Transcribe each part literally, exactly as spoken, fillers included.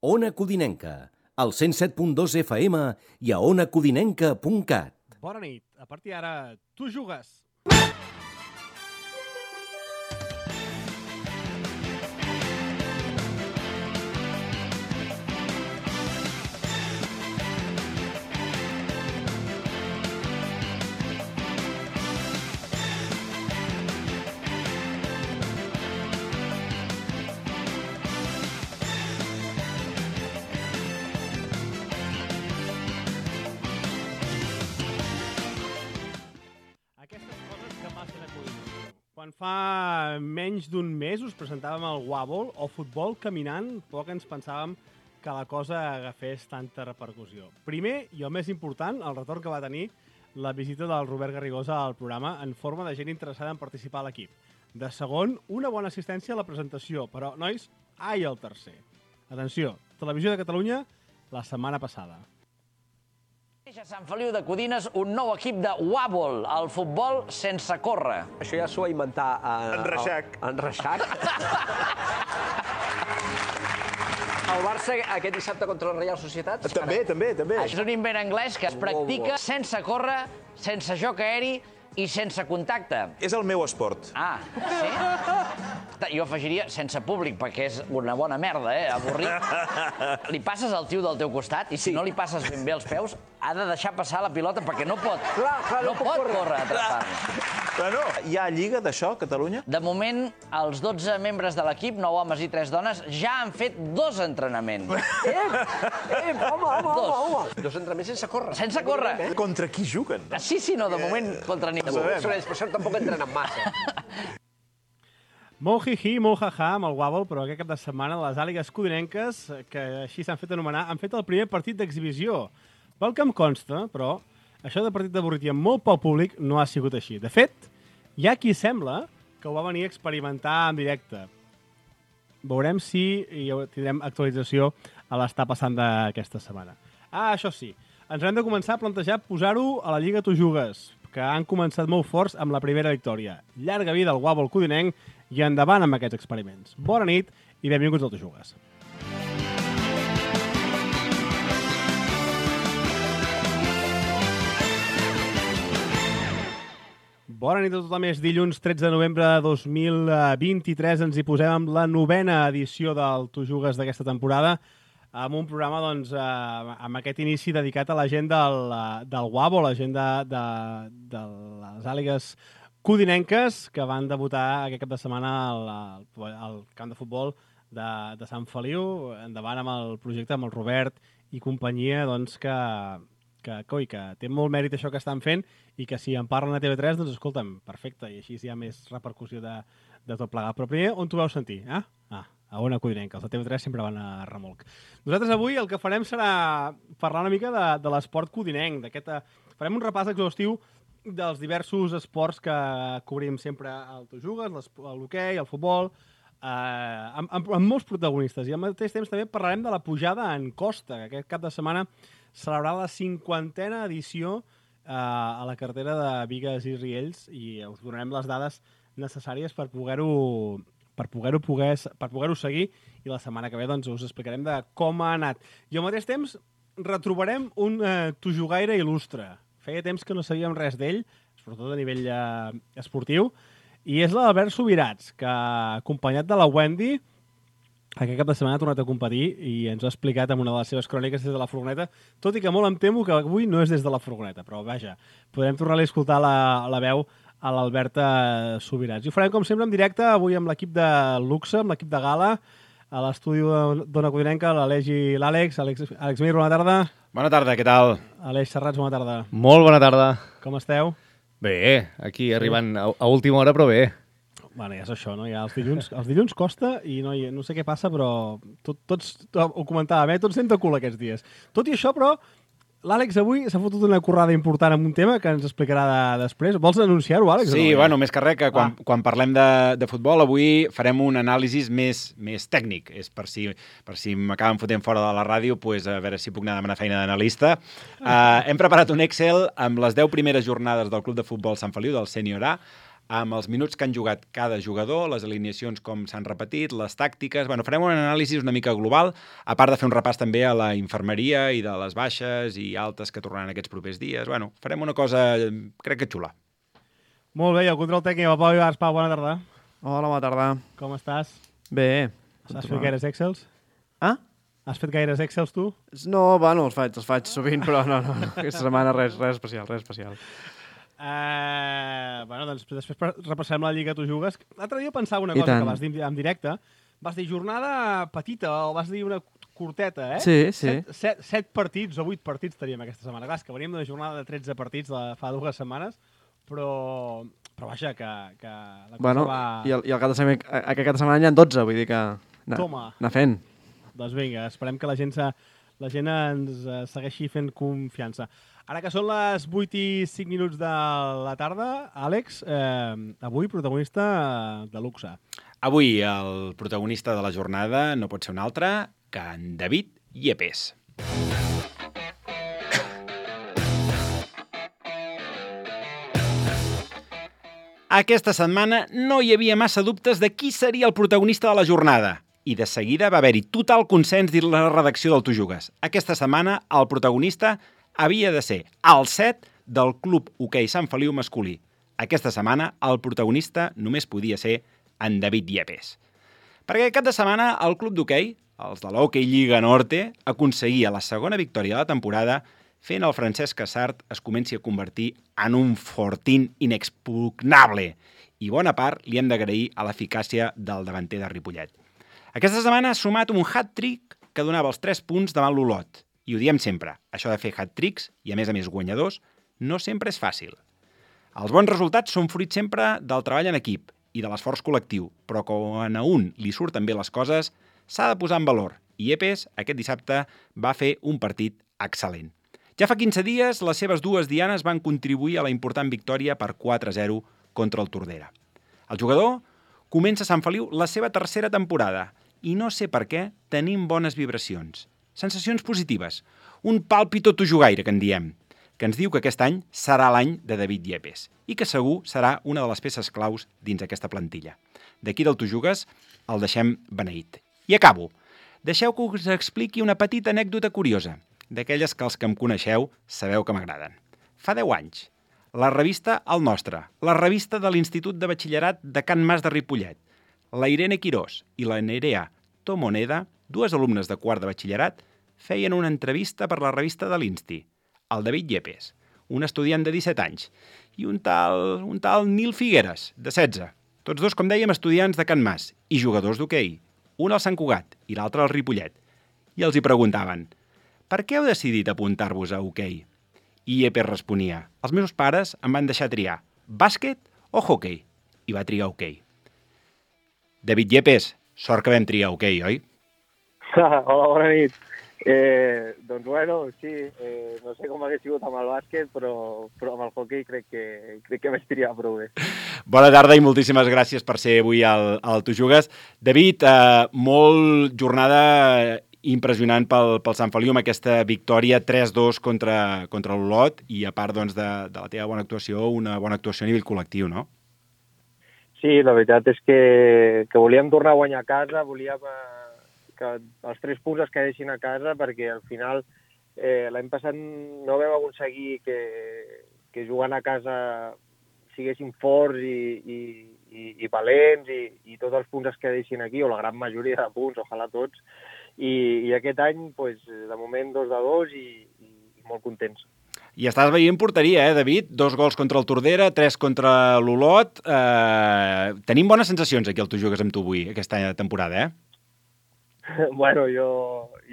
Ona Codinenca, al cent set punt dos F M i a ona codinenca punt cat. Bona nit. A partir d'ara, tu jugues. Quan fa menys d'un mes us presentàvem el Wobble o futbol caminant, poc ens pensàvem que la cosa agafés tanta repercussió. Primer, i el més important, el retorn que va tenir la visita del Robert Garrigosa al programa en forma de gent interessada en participar a l'equip. De segon, una bona assistència a la presentació, però, nois, ai el tercer. Atenció, Televisió de Catalunya, la setmana passada. A Sant Feliu de Codines, un nou equip de Wobble, el futbol sense córrer. Això ja s'ho va inventar... Eh, en Reixac. En Reixac. El Barça aquest dissabte contra la Reial Societat. També, també, també. És un invent anglès que es practica sense córrer, sense joc aeri i sense contacte. És el meu esport. Ah, sí? Jo afegiria sense públic, perquè és una bona merda, eh? Avorrit. Li passes al tio del teu costat i si no li passes ben bé els peus, ha de deixar passar la pilota perquè no pot, clar, clar, no no pot córrer. córrer a atrapar-la. Però no, hi ha lliga d'això, a Catalunya? De moment, els dotze membres de l'equip, nou homes i tres dones, ja han fet dos entrenaments. Eh, eh, home, home, Dos. home, home. Dos entrenaments sense córrer. Sense córrer. Contra qui juguen? Sí, sí, no, de moment contra ningú. Per això tampoc entrenen massa. Molt hi-hi, molt ha-ha amb el Wobble, però aquest cap de setmana les àligues codinenques, que així s'han fet anomenar, han fet el primer partit d'exhibició. Pel que em consta, però, això de partit d'avorrit i amb molt poc públic no ha sigut així. De fet, hi ha qui sembla que ho va venir a experimentar en directe. Veurem si hi tindrem actualització a l'estar passant d'aquesta setmana. Ah, això sí, ens hem de començar a plantejar posar-ho a la Lliga Tu Jugues, que han començat molt forts amb la primera victòria. Llarga vida al Wobble codinenc i endavant amb aquests experiments. Bona nit i benvinguts al Tu Jugues. Bona nit a tothom, és dilluns tretze de novembre de dos mil vint-i-tres. Ens hi posem amb la novena edició del Tu Jugues d'aquesta temporada, amb un programa doncs, eh, amb aquest inici dedicat a la gent del, del Wobble, la gent de, de, de les àligues codinenques que van debutar aquest cap de setmana al, al, al camp de futbol de, de Sant Feliu, endavant amb el projecte, amb el Robert i companyia, doncs, que, que, coi, que té molt mèrit això que estan fent i que si en parlen a T V tres, doncs escolta'm, perfecte, i així hi ha més repercussió de, de tot plegat. Però primer, on t'ho vau sentir? Eh? Ah, a Ona Codinenca, els de T V tres sempre van a remolc. Nosaltres avui el que farem serà parlar una mica de, de l'esport codinenc, d'aquest... Farem un repàs exhaustiu dels diversos esports que cobrim sempre al Tu Jugues, l'hoquei, el futbol, eh, amb, amb, amb molts protagonistes. I al mateix temps també parlarem de la pujada en costa, que aquest cap de setmana celebrarà la cinquantena edició eh, a la carretera de Bigues i Riells i us donarem les dades necessàries per poder-ho per poder-ho poder, per poder-ho seguir i la setmana que ve doncs, us explicarem de com ha anat. I al mateix temps retrobarem un eh, Tu Jugaire il·lustre. Feia temps que no sabíem res d'ell, sobretot a nivell eh, esportiu, i és l'Albert Subirats, que acompanyat de la Wendy aquest cap de setmana ha tornat a competir i ens ha explicat en una de les seves cròniques des de la furgoneta, tot i que molt em temo que avui no és des de la furgoneta, però vaja, podrem tornar-li a escoltar la, la veu a l'Alberta Subirats. I ho farem, com sempre, en directe, avui amb l'equip de luxe, amb l'equip de gala, a l'estudi d'Ona Codinenca, l'Aleix i l'Àlex. Àlex, Àlex Mir, bona tarda. Bona tarda, què tal? Aleix Serrats, bona tarda. Molt bona tarda. Com esteu? Bé, aquí arribant a, a última hora, però bé. Bueno, ja és això, no? Ja els dilluns, els dilluns costa i no, no sé què passa, però tot, tots, ho comentàvem, eh? Tots anem de cul aquests dies. Tot i això, però, l'Àlex avui s'ha fotut una currada important amb un tema que ens explicarà de, després. Vols anunciar-ho, Àlex? Sí, no? bueno, més que res, que quan, ah. quan parlem de, de futbol, avui farem un anàlisi més, més tècnic. És per si, per si m'acaben fotent fora de la ràdio, pues, a veure si puc anar a demanar feina d'analista. Uh, hem preparat un Excel amb les deu primeres jornades del Club de Futbol Sant Feliu, del Sènior A, amb els minuts que han jugat cada jugador, les alineacions com s'han repetit, les tàctiques... Bueno, farem una anàlisi una mica global, a part de fer un repàs també a la infermeria i de les baixes i altes que tornaran aquests propers dies. Bueno, farem una cosa, crec que xula. Molt bé, i el control tècnic, el Pau Ibars. Pau, bona tarda. Hola, bona tarda. Com estàs? Bé. Has fet gaires Excels? Ah? Has fet gaires Excels, tu? No, bueno, els faig, els faig sovint, però no, no, no. Aquesta setmana res, res especial, res especial. Uh, bueno, doncs després repassem la Lliga Tu Jugues. L'altre dia pensava una I cosa tant. que vas dir en directe. Vas dir jornada petita, o vas dir una curteta, eh? Sí, sí. Set, set, set partits o vuit partits teníem aquesta setmana. Clar, és que veníem d'una jornada de tretze partits de fa dues setmanes, però, però vaja, que, que la cosa Bueno, va... i, el, i el cap de setmana, aquest cap de setmana hi ha dotze, vull dir que... Na, Toma. Anar fent. Doncs vinga, esperem que la gent, se, la gent ens eh, segueixi fent confiança. Ara que són les vuit i cinc minuts de la tarda, Àlex, eh, avui protagonista de luxe. Avui el protagonista de la jornada no pot ser un altre que en David Yepes. Aquesta setmana no hi havia massa dubtes de qui seria el protagonista de la jornada. I de seguida va haver-hi total consens dins la redacció del Tu Jugues. Aquesta setmana el protagonista havia de ser el set del Club Hoquei Sant Feliu masculí. Aquesta setmana el protagonista només podia ser en David Yepes. Perquè cap de setmana el club d'hoquei, els de l'Hockey Lliga Norte, aconseguia la segona victòria de la temporada fent el Francesc Casart es comenci a convertir en un fortín inexpugnable. I bona part li hem d'agrair a l'eficàcia del davanter de Ripollet. Aquesta setmana ha sumat un hat-trick que donava els tres punts davant l'Olot. I ho diem sempre, això de fer hat-tricks, i a més a més guanyadors, no sempre és fàcil. Els bons resultats són fruit sempre del treball en equip i de l'esforç col·lectiu, però quan a un li surten bé les coses, s'ha de posar en valor. I Yepes, aquest dissabte, va fer un partit excel·lent. Ja fa quinze dies, les seves dues dianes van contribuir a la important victòria per quatre a zero contra el Tordera. El jugador comença a Sant Feliu la seva tercera temporada i no sé per què tenim bones vibracions. Sensacions positives. Un pàlpito tujugaire, que en diem, que ens diu que aquest any serà l'any de David Yepes i que segur serà una de les peces claus dins aquesta plantilla. D'aquí del Tu Jugues el deixem beneït. I acabo. Deixeu que us expliqui una petita anècdota curiosa, d'aquelles que els que em coneixeu sabeu que m'agraden. Fa deu anys, la revista El Nostre, la revista de l'Institut de Batxillerat de Can Mas de Ripollet, la Irene Quirós i la Nerea Tomoneda, dues alumnes de quart de batxillerat, feien una entrevista per la revista de l'Insti, el David Yepes, un estudiant de disset anys, i un tal, un tal Nil Figueres, de setze. Tots dos, com dèiem, estudiants de Can Mas i jugadors d'hoquei, un al Sant Cugat i l'altre al Ripollet. I els hi preguntaven: per què heu decidit apuntar-vos a hoquei? I Yepes responia: els meus pares em van deixar triar bàsquet o hoquei, i va triar hoquei. David Yepes, sort que vam triar hoquei, oi? Hola, bona nit. Eh, doncs bueno, sí, eh, no sé com hagués sigut amb el bàsquet, però, però amb el hoquei crec que, crec que m'he triat prou bé. Bona tarda i moltíssimes gràcies per ser avui al, al Tu Jugues. David, eh, molt jornada impressionant pel, pel Sant Feliu amb aquesta victòria tres dos contra, contra l'Olot i a part doncs, de, de la teva bona actuació, una bona actuació a nivell col·lectiu, no? Sí, la veritat és que, que volíem tornar a guanyar a casa, volíem eh, que els tres punts es quedessin a casa perquè al final eh, l'any passat no vam aconseguir que, que jugant a casa siguessin forts i, i, i, i valents i, i tots els punts es quedessin aquí, o la gran majoria de punts, ojalà tots, i, i aquest any, pues, de moment, dos de dos i, i molt contents. I estàs veient porteria, eh, David? Dos gols contra el Tordera, tres contra l'Olot. Eh, tenim bones sensacions aquí al Tu Jugues amb tu avui, aquesta temporada, eh? Bueno, jo,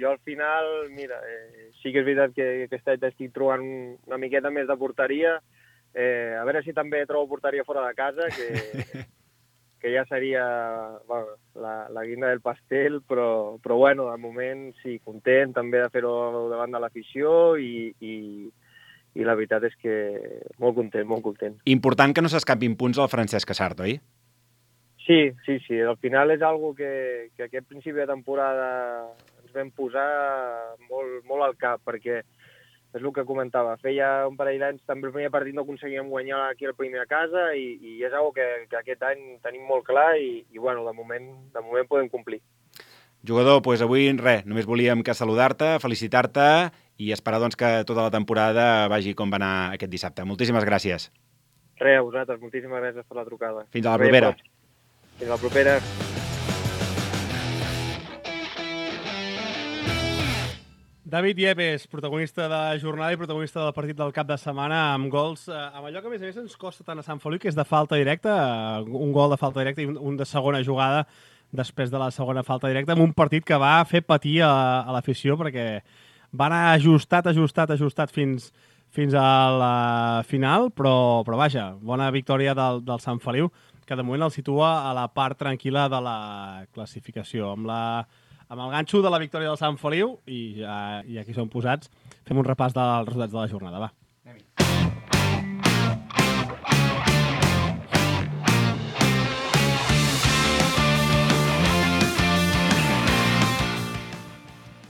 jo al final, mira, eh, sí que és veritat que aquest any estic trobant una miqueta més de porteria. Eh, a veure si també trobo porteria fora de casa, que, que ja seria bueno, la, la guinda del pastel, però, però bueno, de moment sí, content també de fer-ho davant de l'afició i, i, i la veritat és que molt content, molt content. Important que no s'escapin punts al Francesc Casart, oi? Sí, sí, sí. Al final és algo que, que aquest principi de temporada ens vam posar molt, molt al cap, perquè és el que comentava. Feia un parell d'anys, també el primer partit no aconseguíem guanyar aquí el primer a casa i, i és una que, que aquest any tenim molt clar i, i bueno, de moment, de moment podem complir. Jugador, doncs avui res, només volíem que saludar-te, felicitar-te i esperar doncs, que tota la temporada vagi com va anar aquest dissabte. Moltíssimes gràcies. Res, a vosaltres, moltíssimes gràcies per la trucada. Fins a la propera. Fins a la propera. David Yepes, protagonista de la jornada i protagonista del partit del cap de setmana amb gols, eh, amb allò que a més a més ens costa tant a Sant Feliu, que és de falta directa, eh, un gol de falta directa i un, un de segona jugada després de la segona falta directa, amb un partit que va fer patir a, a l'afició perquè va anar ajustat, ajustat, ajustat fins, fins a la final, però, però vaja, bona victòria del, del Sant Feliu, que de moment el situa a la part tranquil·la de la classificació, amb la amb el ganxo de la victòria del Sant Feliu i ja, i aquí som posats. Fem un repàs dels resultats de la jornada, va.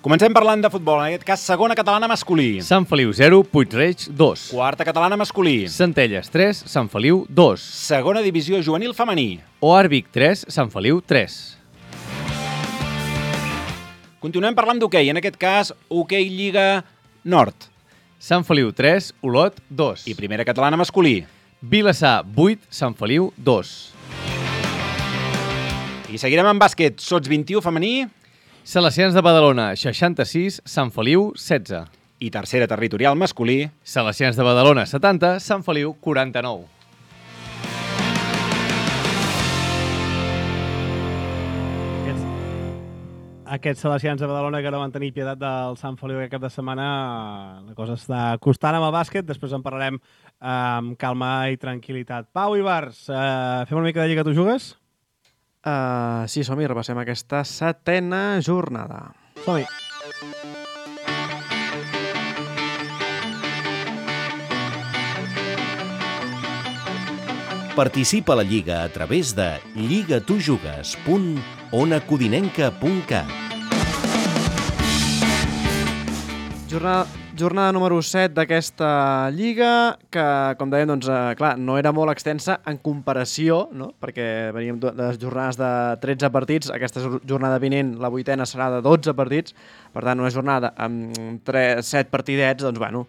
Comencem parlant de futbol, en aquest cas segona catalana masculí. Sant Feliu zero, Puig-reig dos. Quarta catalana masculí. Centelles tres, Sant Feliu dos. Segona divisió juvenil femení. Oarvic tres, Sant Feliu tres. Continuem parlant d'hoquei, en aquest cas, hoquei Lliga Nord. Sant Feliu tres, Olot dos. I primera catalana masculí. Vilassar vuit, Sant Feliu dos. I seguirem amb bàsquet, sots vint-i-u femení. Salesians de Badalona seixanta-sis, Sant Feliu setze. I tercera territorial masculí. Salesians de Badalona setanta, Sant Feliu quaranta-nou. Aquests salesians de Badalona que no van tenir pietat del Sant Feliu aquest cap de setmana, la cosa està costant amb el bàsquet, després en parlarem amb calma i tranquil·litat. Pau Ibars, eh, fem una mica de Lliga, tu jugues? Uh, sí, som-hi, repassem aquesta setena jornada. Som-hi. Participa a la Lliga a través de lligatujugues punt ona codinenca punt cat. Jornada, jornada número set d'aquesta Lliga, que, com dèiem, doncs, eh, clar, no era molt extensa en comparació, no? Perquè veníem de les jornades de tretze partits, aquesta jornada vinent, la vuitena, serà de dotze partits, per tant, una jornada amb set partidets, doncs, bueno,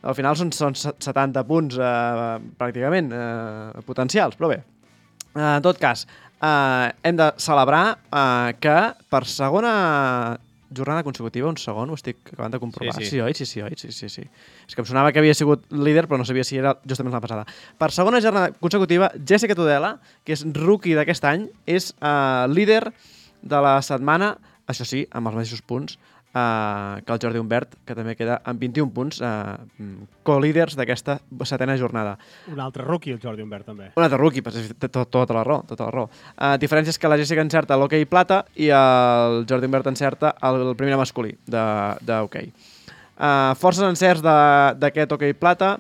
al final són, són setanta punts eh, pràcticament eh, potencials, però bé. Eh, en tot cas, eh, hem de celebrar eh, que per segona jornada consecutiva, un segon, ho estic acabant de comprovar. Sí, sí. Sí, oi? Sí, sí, oi? Sí, sí, sí. És que em sonava que havia sigut líder, però no sabia si era justament la passada. Per segona jornada consecutiva, Jessica Tudela, que és rookie d'aquest any, és eh, líder de la setmana, això sí, amb els mateixos punts, Uh, que el Jordi Humbert, que també queda amb vint-i-un punts, uh, co-líders d'aquesta setena jornada. Un altre rookie, el Jordi Humbert, també. Un altre rookie, però té tot, tota la raó. Tota la raó. Uh, diferència és que la Jessica encerta l'hoquei plata i el Jordi Humbert encerta el, el primer masculí d'hoquei. Uh, forces encerts d'aquest hoquei plata,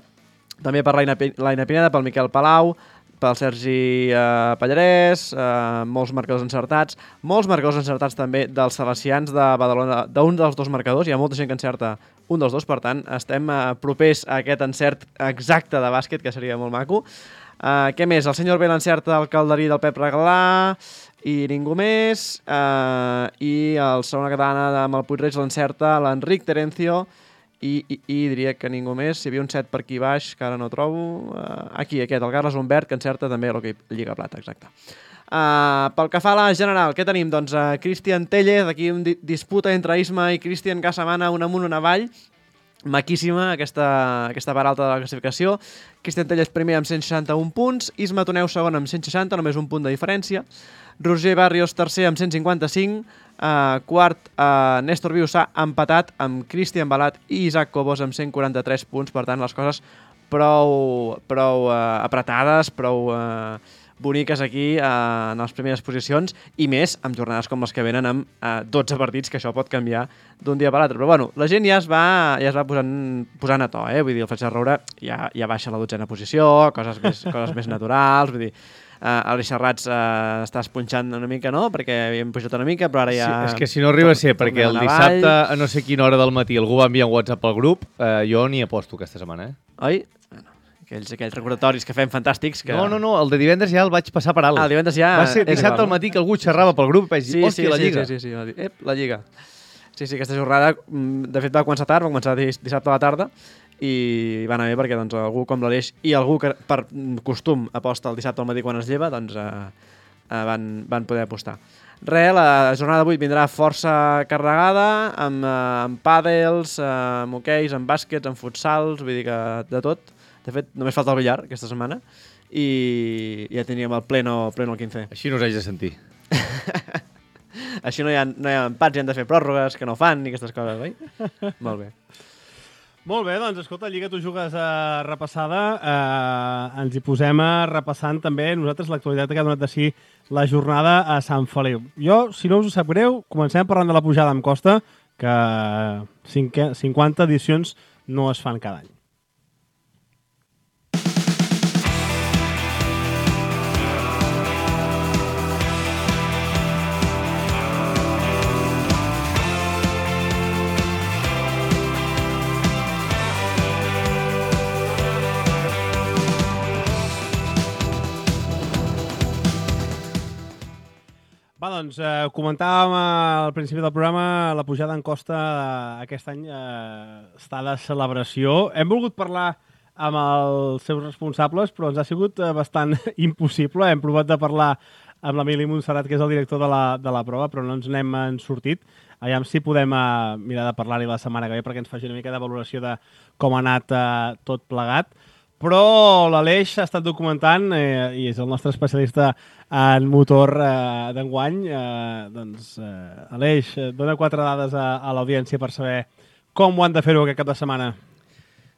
també per l'Aina Pineda, pel Miquel Palau, pel Sergi eh, Pallarès, eh, molts marcadors encertats, molts marcadors encertats també dels salesians de Badalona, d'un dels dos marcadors, hi ha molta gent que encerta un dels dos, per tant, estem eh, propers a aquest encert exacte de bàsquet, que seria molt maco. Eh, què més? El senyor B l'encerta el calderí del Pep Regalà i ningú més, eh, i el segona catalana amb el Puig-reig l'encerta l'Enric Terencio, I, i, i diria que ningú més. Hi havia un set per aquí baix, que ara no trobo. Uh, aquí, aquest, el Carles Humbert, que encerta també l'hoquei Lliga Plata, exacte. Uh, pel que fa a la general, què tenim? Doncs uh, Cristian Tellez, aquí un di disputa entre Isma i Cristian Casamana, un amunt, un avall. Maquíssima aquesta, aquesta part alta de la classificació. Cristian Tellez primer amb cent seixanta-un punts, Isma Toneu segon amb cent seixanta, només un punt de diferència. Roger Barrios tercer amb cent cinquanta-cinc, uh, quart uh, Néstor Viussà empatat amb Cristian Balat i Isaac Cobos amb cent quaranta-tres punts, per tant les coses prou, prou uh, apretades, prou uh, boniques aquí uh, en les primeres posicions i més amb jornades com les que venen amb uh, dotze partits, que això pot canviar d'un dia per l'altre. Però bueno, la gent ja es va, ja es va posant, posant a to, eh? Vull dir, el Fletxer Roure ja, ja baixa a la dotzena posició, coses més, coses més naturals, vull dir, Uh, Aleix Serrats uh, està esponxant una mica, no? Perquè havíem pujat una mica, però ara ja... Sí, és que si no arriba a ser perquè el dissabte a no sé quina hora del matí algú va enviar un WhatsApp al grup, eh, jo ni aposto aquesta setmana, eh? Oi? Bueno, aquells, aquells recordatoris que fem fantàstics. Que... No, no, no, el de divendres ja el vaig passar per alt. Ah, el divendres ja... Va ser dissabte igual, al matí que algú xerrava pel grup i vaig dir, sí, hòstia, sí, la Lliga. Sí, sí, sí, sí. Ep, la Lliga. Sí, sí, aquesta jornada, de fet, va començar tard, va començar dissabte a la tarda, i va anar bé perquè doncs, algú com l'Aleix i algú que per costum aposta el dissabte al matí quan es lleva, doncs eh, eh, van, van poder apostar. Re, la jornada d'avui vindrà força carregada, amb, eh, amb pàdels, eh, amb hoqueis, amb bàsquets, amb futsals, vull dir que de tot. De fet, només falta el billar aquesta setmana i ja teníem el pleno, pleno el quinze. Així no us haig de sentir. Així no hi ha, no hi ha empats i han de fer pròrrogues que no fan ni aquestes coses, oi? Molt bé. Molt bé, doncs escolta, Lliga, tu jugues a repassada, eh, ens hi posem a repassant també nosaltres l'actualitat que ha donat de si la jornada a Sant Feliu. Jo, si no us ho sap greu, comencem parlant de la pujada amb Costa, que cinquanta edicions no es fan cada any. Va, doncs, eh, comentàvem al principi del programa la pujada en Costa eh, aquest any eh, està de celebració. Hem volgut parlar amb els seus responsables, però ens ha sigut eh, bastant impossible. Hem provat de parlar amb l'Emili Montserrat, que és el director de la, de la prova, però no ens n'hem en sortit. Aviam si podem eh, mirar de parlar-hi la setmana que ve perquè ens faci una mica de valoració de com ha anat eh, tot plegat. Però l'Aleix ha estat documentant eh, i és el nostre especialista en motor eh, d'enguany. Eh, doncs, eh, Aleix, dona quatre dades a, a l'audiència per saber com ho han de fer-ho aquest cap de setmana.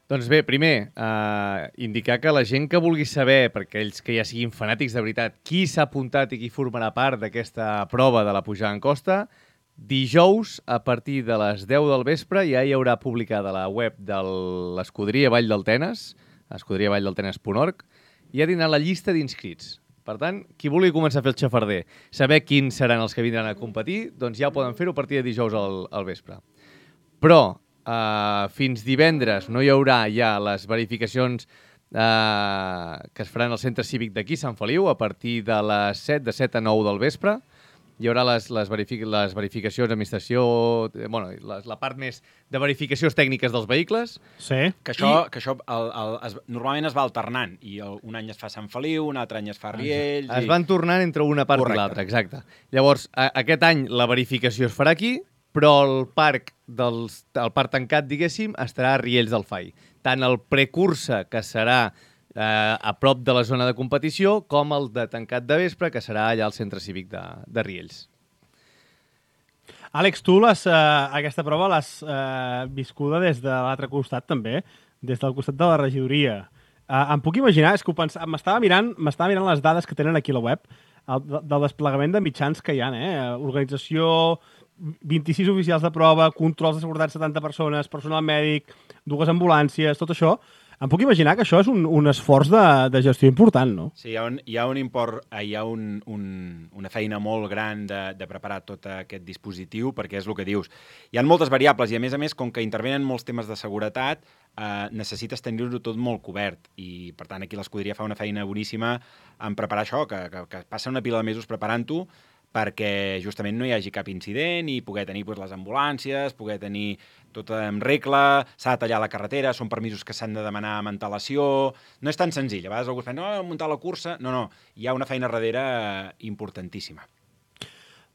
Doncs bé, primer, eh, indicar que la gent que vulgui saber, perquè ells que ja siguin fanàtics de veritat, qui s'ha apuntat i qui formarà part d'aquesta prova de la pujada en Costa, dijous, a partir de les deu del vespre, ja hi haurà publicada a la web de l'Escuderia Vall del Tenes, escuderia vall del tenes punt org, i ja tindrà la llista d'inscrits. Per tant, qui vulgui començar a fer el xafarder, saber quins seran els que vindran a competir, doncs ja ho poden fer-ho a partir de dijous al, al vespre. Però eh, fins divendres no hi haurà ja les verificacions eh, que es faran al centre cívic d'aquí, Sant Feliu, a partir de les set, de set a nou del vespre. Hi haurà les, les, verific les verificacions d'administració, bueno, la, la part més de verificacions tècniques dels vehicles. Sí. Que això, I... que això el, el, es, normalment es va alternant, i el, un any es fa Sant Feliu, un altre any es fa Riells... Es i... van tornant entre una part Correcte. I l'altra, exacte. Llavors, a, aquest any la verificació es farà aquí, però el parc, dels, el parc tancat, diguéssim, estarà a Riells del Fai. Tant el precursa, que serà eh, a prop de la zona de competició, com el de tancat de vespre, que serà allà al centre cívic de, de Riells. Àlex, tu les, eh, aquesta prova l'has eh, viscuda des de l'altre costat també, des del costat de la regidoria. Eh, em puc imaginar, és que m'estava mirant, m'estava mirant les dades que tenen aquí a la web, el, del desplegament de mitjans que hi ha, eh? Organització, vint-i-sis oficials de prova, controls de seguretat, setanta persones, personal mèdic, dues ambulàncies, tot això. Em puc imaginar que això és un, un esforç de, de gestió important, no? Sí, hi ha, un, hi ha un import, hi ha un, un, una feina molt gran de, de preparar tot aquest dispositiu, perquè és el que dius. Hi ha moltes variables i, a més a més, com que intervenen molts temes de seguretat, eh, necessites tenir-ho tot molt cobert. I, per tant, aquí l'escuderia fa una feina boníssima en preparar això, que, que, que passa una pila de mesos preparant-ho, perquè justament no hi hagi cap incident i poder tenir doncs, les ambulàncies, poder tenir tot en regla, s'ha de tallar la carretera, són permisos que s'han de demanar amb antelació... No és tan senzill. A vegades algú es pensa, no, muntar la cursa... No, no, hi ha una feina darrere importantíssima.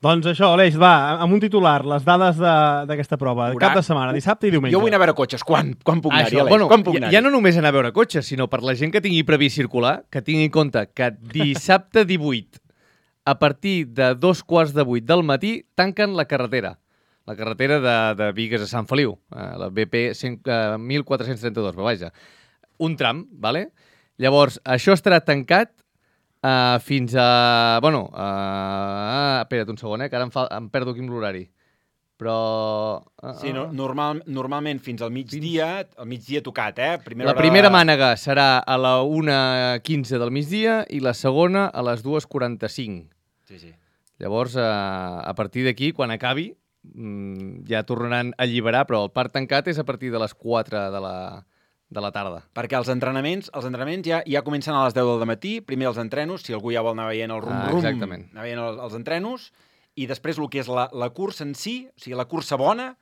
Doncs això, Aleix, va, amb un titular, les dades d'aquesta prova, de cap de setmana, dissabte i diumenge. Jo vull anar a veure cotxes. Quan, quan puc anar-hi, Aleix? Bueno, quan puc anar-hi? Ja no només anar a veure cotxes, sinó per la gent que tingui previst circular, que tingui en compte que dissabte divuit, a partir de dos quarts de vuit del matí, tanquen la carretera. La carretera de, de Bigues a Sant Feliu, la B P mil quatre-cents trenta-dos, però vaja, un tram, ¿vale? Llavors, això estarà tancat uh, fins a... Bueno, uh, espera't un segon, eh, que ara em, fa, em perdo aquí amb l'horari. però... Uh, Sí, no, normal, normalment fins al migdia, al migdia tocat, eh? Primera la primera hora... mànega serà a la una quinze del migdia i la segona a les dues quaranta-cinc. Sí, sí. Llavors, a, a partir d'aquí, quan acabi, ja tornaran a alliberar, però el parc tancat és a partir de les quatre de la... de la tarda. Perquè els entrenaments, els entrenaments ja, ja comencen a les deu del matí, primer els entrenos, si algú ja vol anar veient el rum-rum, ah, anar veient els, els entrenos, i després el que és la, la cursa en si, o sigui, la cursa bona,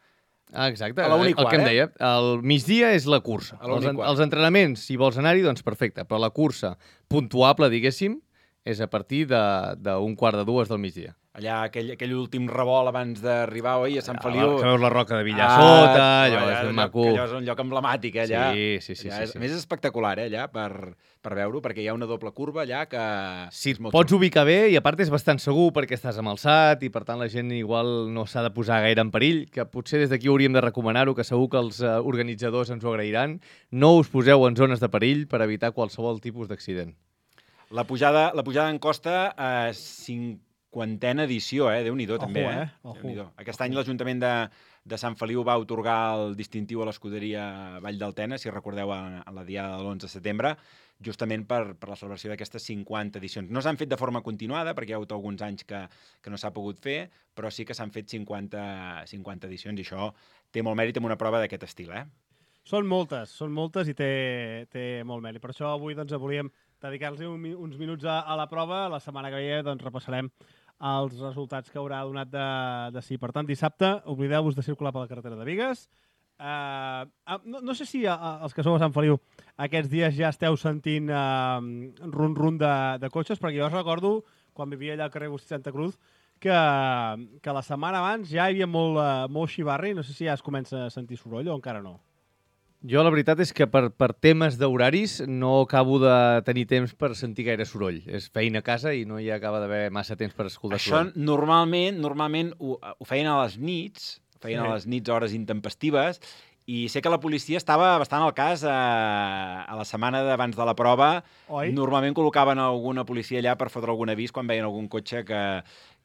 ah, exacte, a la una i el quart, que em eh? deia. El migdia és la cursa. Els, els entrenaments, si vols anar-hi, doncs perfecte, però la cursa puntuable, diguéssim, és a partir d'un quart de dues del migdia. Allà, aquell, aquell últim revolt abans d'arribar, oi, a Sant Feliu. Que veus la roca de Villar ah, sota, allò allà, és ben maco. Allò és un lloc emblemàtic, eh, allà. Sí, sí, sí. Allà sí, és, sí. A més, és espectacular, eh, allà, per, per veure-ho, perquè hi ha una doble curva allà que... Sí, pots ubicar bé i a part és bastant segur perquè estàs amb alçat i per tant la gent igual no s'ha de posar gaire en perill, que potser des d'aquí hauríem de recomanar-ho, que segur que els uh, organitzadors ens ho agrairan. No us poseu en zones de perill per evitar qualsevol tipus d'accident. La pujada, la pujada en costa a eh, cinquantena edició, eh? Déu-n'hi-do, també, eh? eh? Déu-n'hi-do. Aquest any l'Ajuntament de, de Sant Feliu va otorgar el distintiu a l'escuderia Vall del Tena, si recordeu, a, a la diada de l'onze de setembre, justament per, per la celebració d'aquestes cinquanta edicions. No s'han fet de forma continuada, perquè hi ha hagut alguns anys que, que no s'ha pogut fer, però sí que s'han fet cinquanta, cinquanta edicions, i això té molt mèrit en una prova d'aquest estil, eh? Són moltes, són moltes i té, té molt mèrit. Per això avui doncs, volíem dedicar-los un, uns minuts a, a la prova. La setmana que ve doncs, repassarem els resultats que haurà donat de, de sí. Per tant, dissabte, oblideu-vos de circular per la carretera de Bigues. Uh, no, no sé si uh, els que sou a Sant Feliu aquests dies ja esteu sentint uh, run-run de, de cotxes, perquè jo recordo, quan vivia allà al carrer Agustí Santa Cruz, que, que la setmana abans ja hi havia molt, uh, molt xivarri. No sé si ja es comença a sentir soroll o encara no. Jo la veritat és que per, per temes d'horaris no acabo de tenir temps per sentir gaire soroll. És feina a casa i no hi acaba d'haver massa temps per escoltar Això soroll. normalment normalment ho, ho feien a les nits, feien sí. a les nits hores intempestives, i sé que la policia estava bastant al cas a, a la setmana d'abans de la prova. Oi? Normalment col·locaven alguna policia allà per fotre algun avís quan veien algun cotxe que,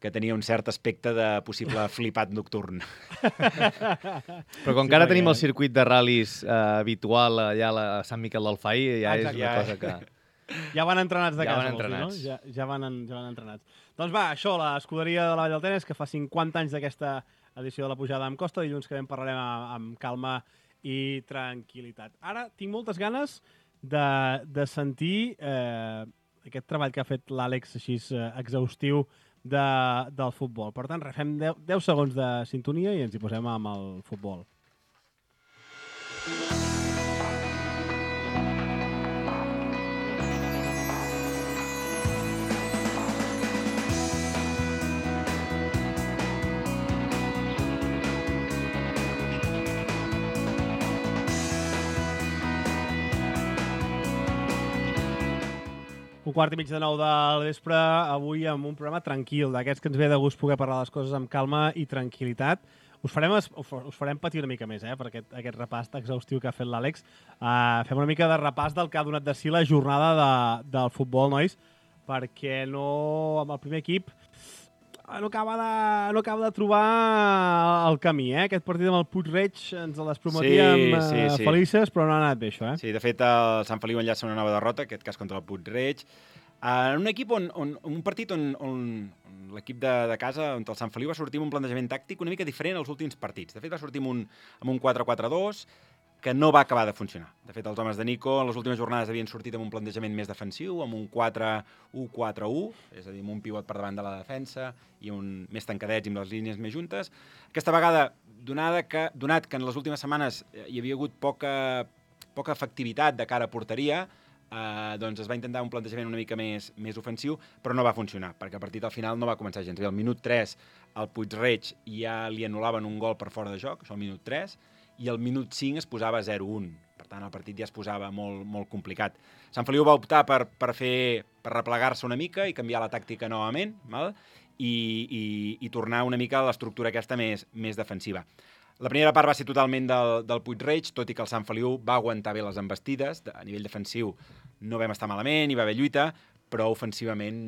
que tenia un cert aspecte de possible flipat nocturn. Però com que ara tenim el circuit de ral·lis eh, habitual allà a, la, a Sant Miquel del Fai, ja Exacte. és una cosa que... Ja van entrenats de ja casa, van dir, entrenats. no? Ja, ja, van, ja van entrenats. Doncs va, això, l'escuderia de la Vall del Tenes, que fa cinquanta anys d'aquesta edició de la pujada amb Costa. Dilluns que ben parlarem amb calma i tranquil·litat. Ara tinc moltes ganes de, de sentir eh, aquest treball que ha fet l'Àlex així eh, exhaustiu de, del futbol. Per tant, refem deu segons de sintonia i ens hi posem amb el futbol. Un quart i mig de nou del vespre, avui amb un programa tranquil, d'aquests que ens ve de gust poder parlar les coses amb calma i tranquil·litat. Us farem, us farem patir una mica més, eh, per aquest, aquest repàs exhaustiu que ha fet l'Àlex. Uh, fem una mica de repàs del que ha donat de si la jornada de, del futbol, nois, perquè no, amb el primer equip no acaba de, no acaba de trobar el camí. Eh? Aquest partit amb el Puig-reig ens les prometíem sí, sí, sí. felices, però no ha anat bé, això. Eh? Sí, de fet, el Sant Feliu enllaça una nova derrota, aquest cas contra el Puig-reig. En un equip on, on, un partit on, on, on l'equip de, de casa, on el Sant Feliu va sortir amb un plantejament tàctic una mica diferent als últims partits. De fet, va sortir amb un, amb un quatre quatre dos que no va acabar de funcionar. De fet, els homes de Nico en les últimes jornades havien sortit amb un plantejament més defensiu, amb un quatre u quatre u, és a dir, amb un pivot per davant de la defensa i un més tancadets i amb les línies més juntes. Aquesta vegada, donada que, donat que en les últimes setmanes hi havia hagut poca, poca efectivitat de cara a porteria, Uh, doncs es va intentar un plantejament una mica més, més ofensiu, però no va funcionar, perquè el partit al final no va començar gens bé. Al minut tres, el Puig-reig ja li anul·laven un gol per fora de joc, això al minut tres, i al minut cinc es posava zero un. Per tant, el partit ja es posava molt, molt complicat. Sant Feliu va optar per, per, fer, per replegar-se una mica i canviar la tàctica novament, val? I, i, i tornar una mica a l'estructura aquesta més, més defensiva. La primera part va ser totalment del, del Puig-reig, tot i que el Sant Feliu va aguantar bé les embestides. A nivell defensiu no vam estar malament, hi va haver lluita, però ofensivament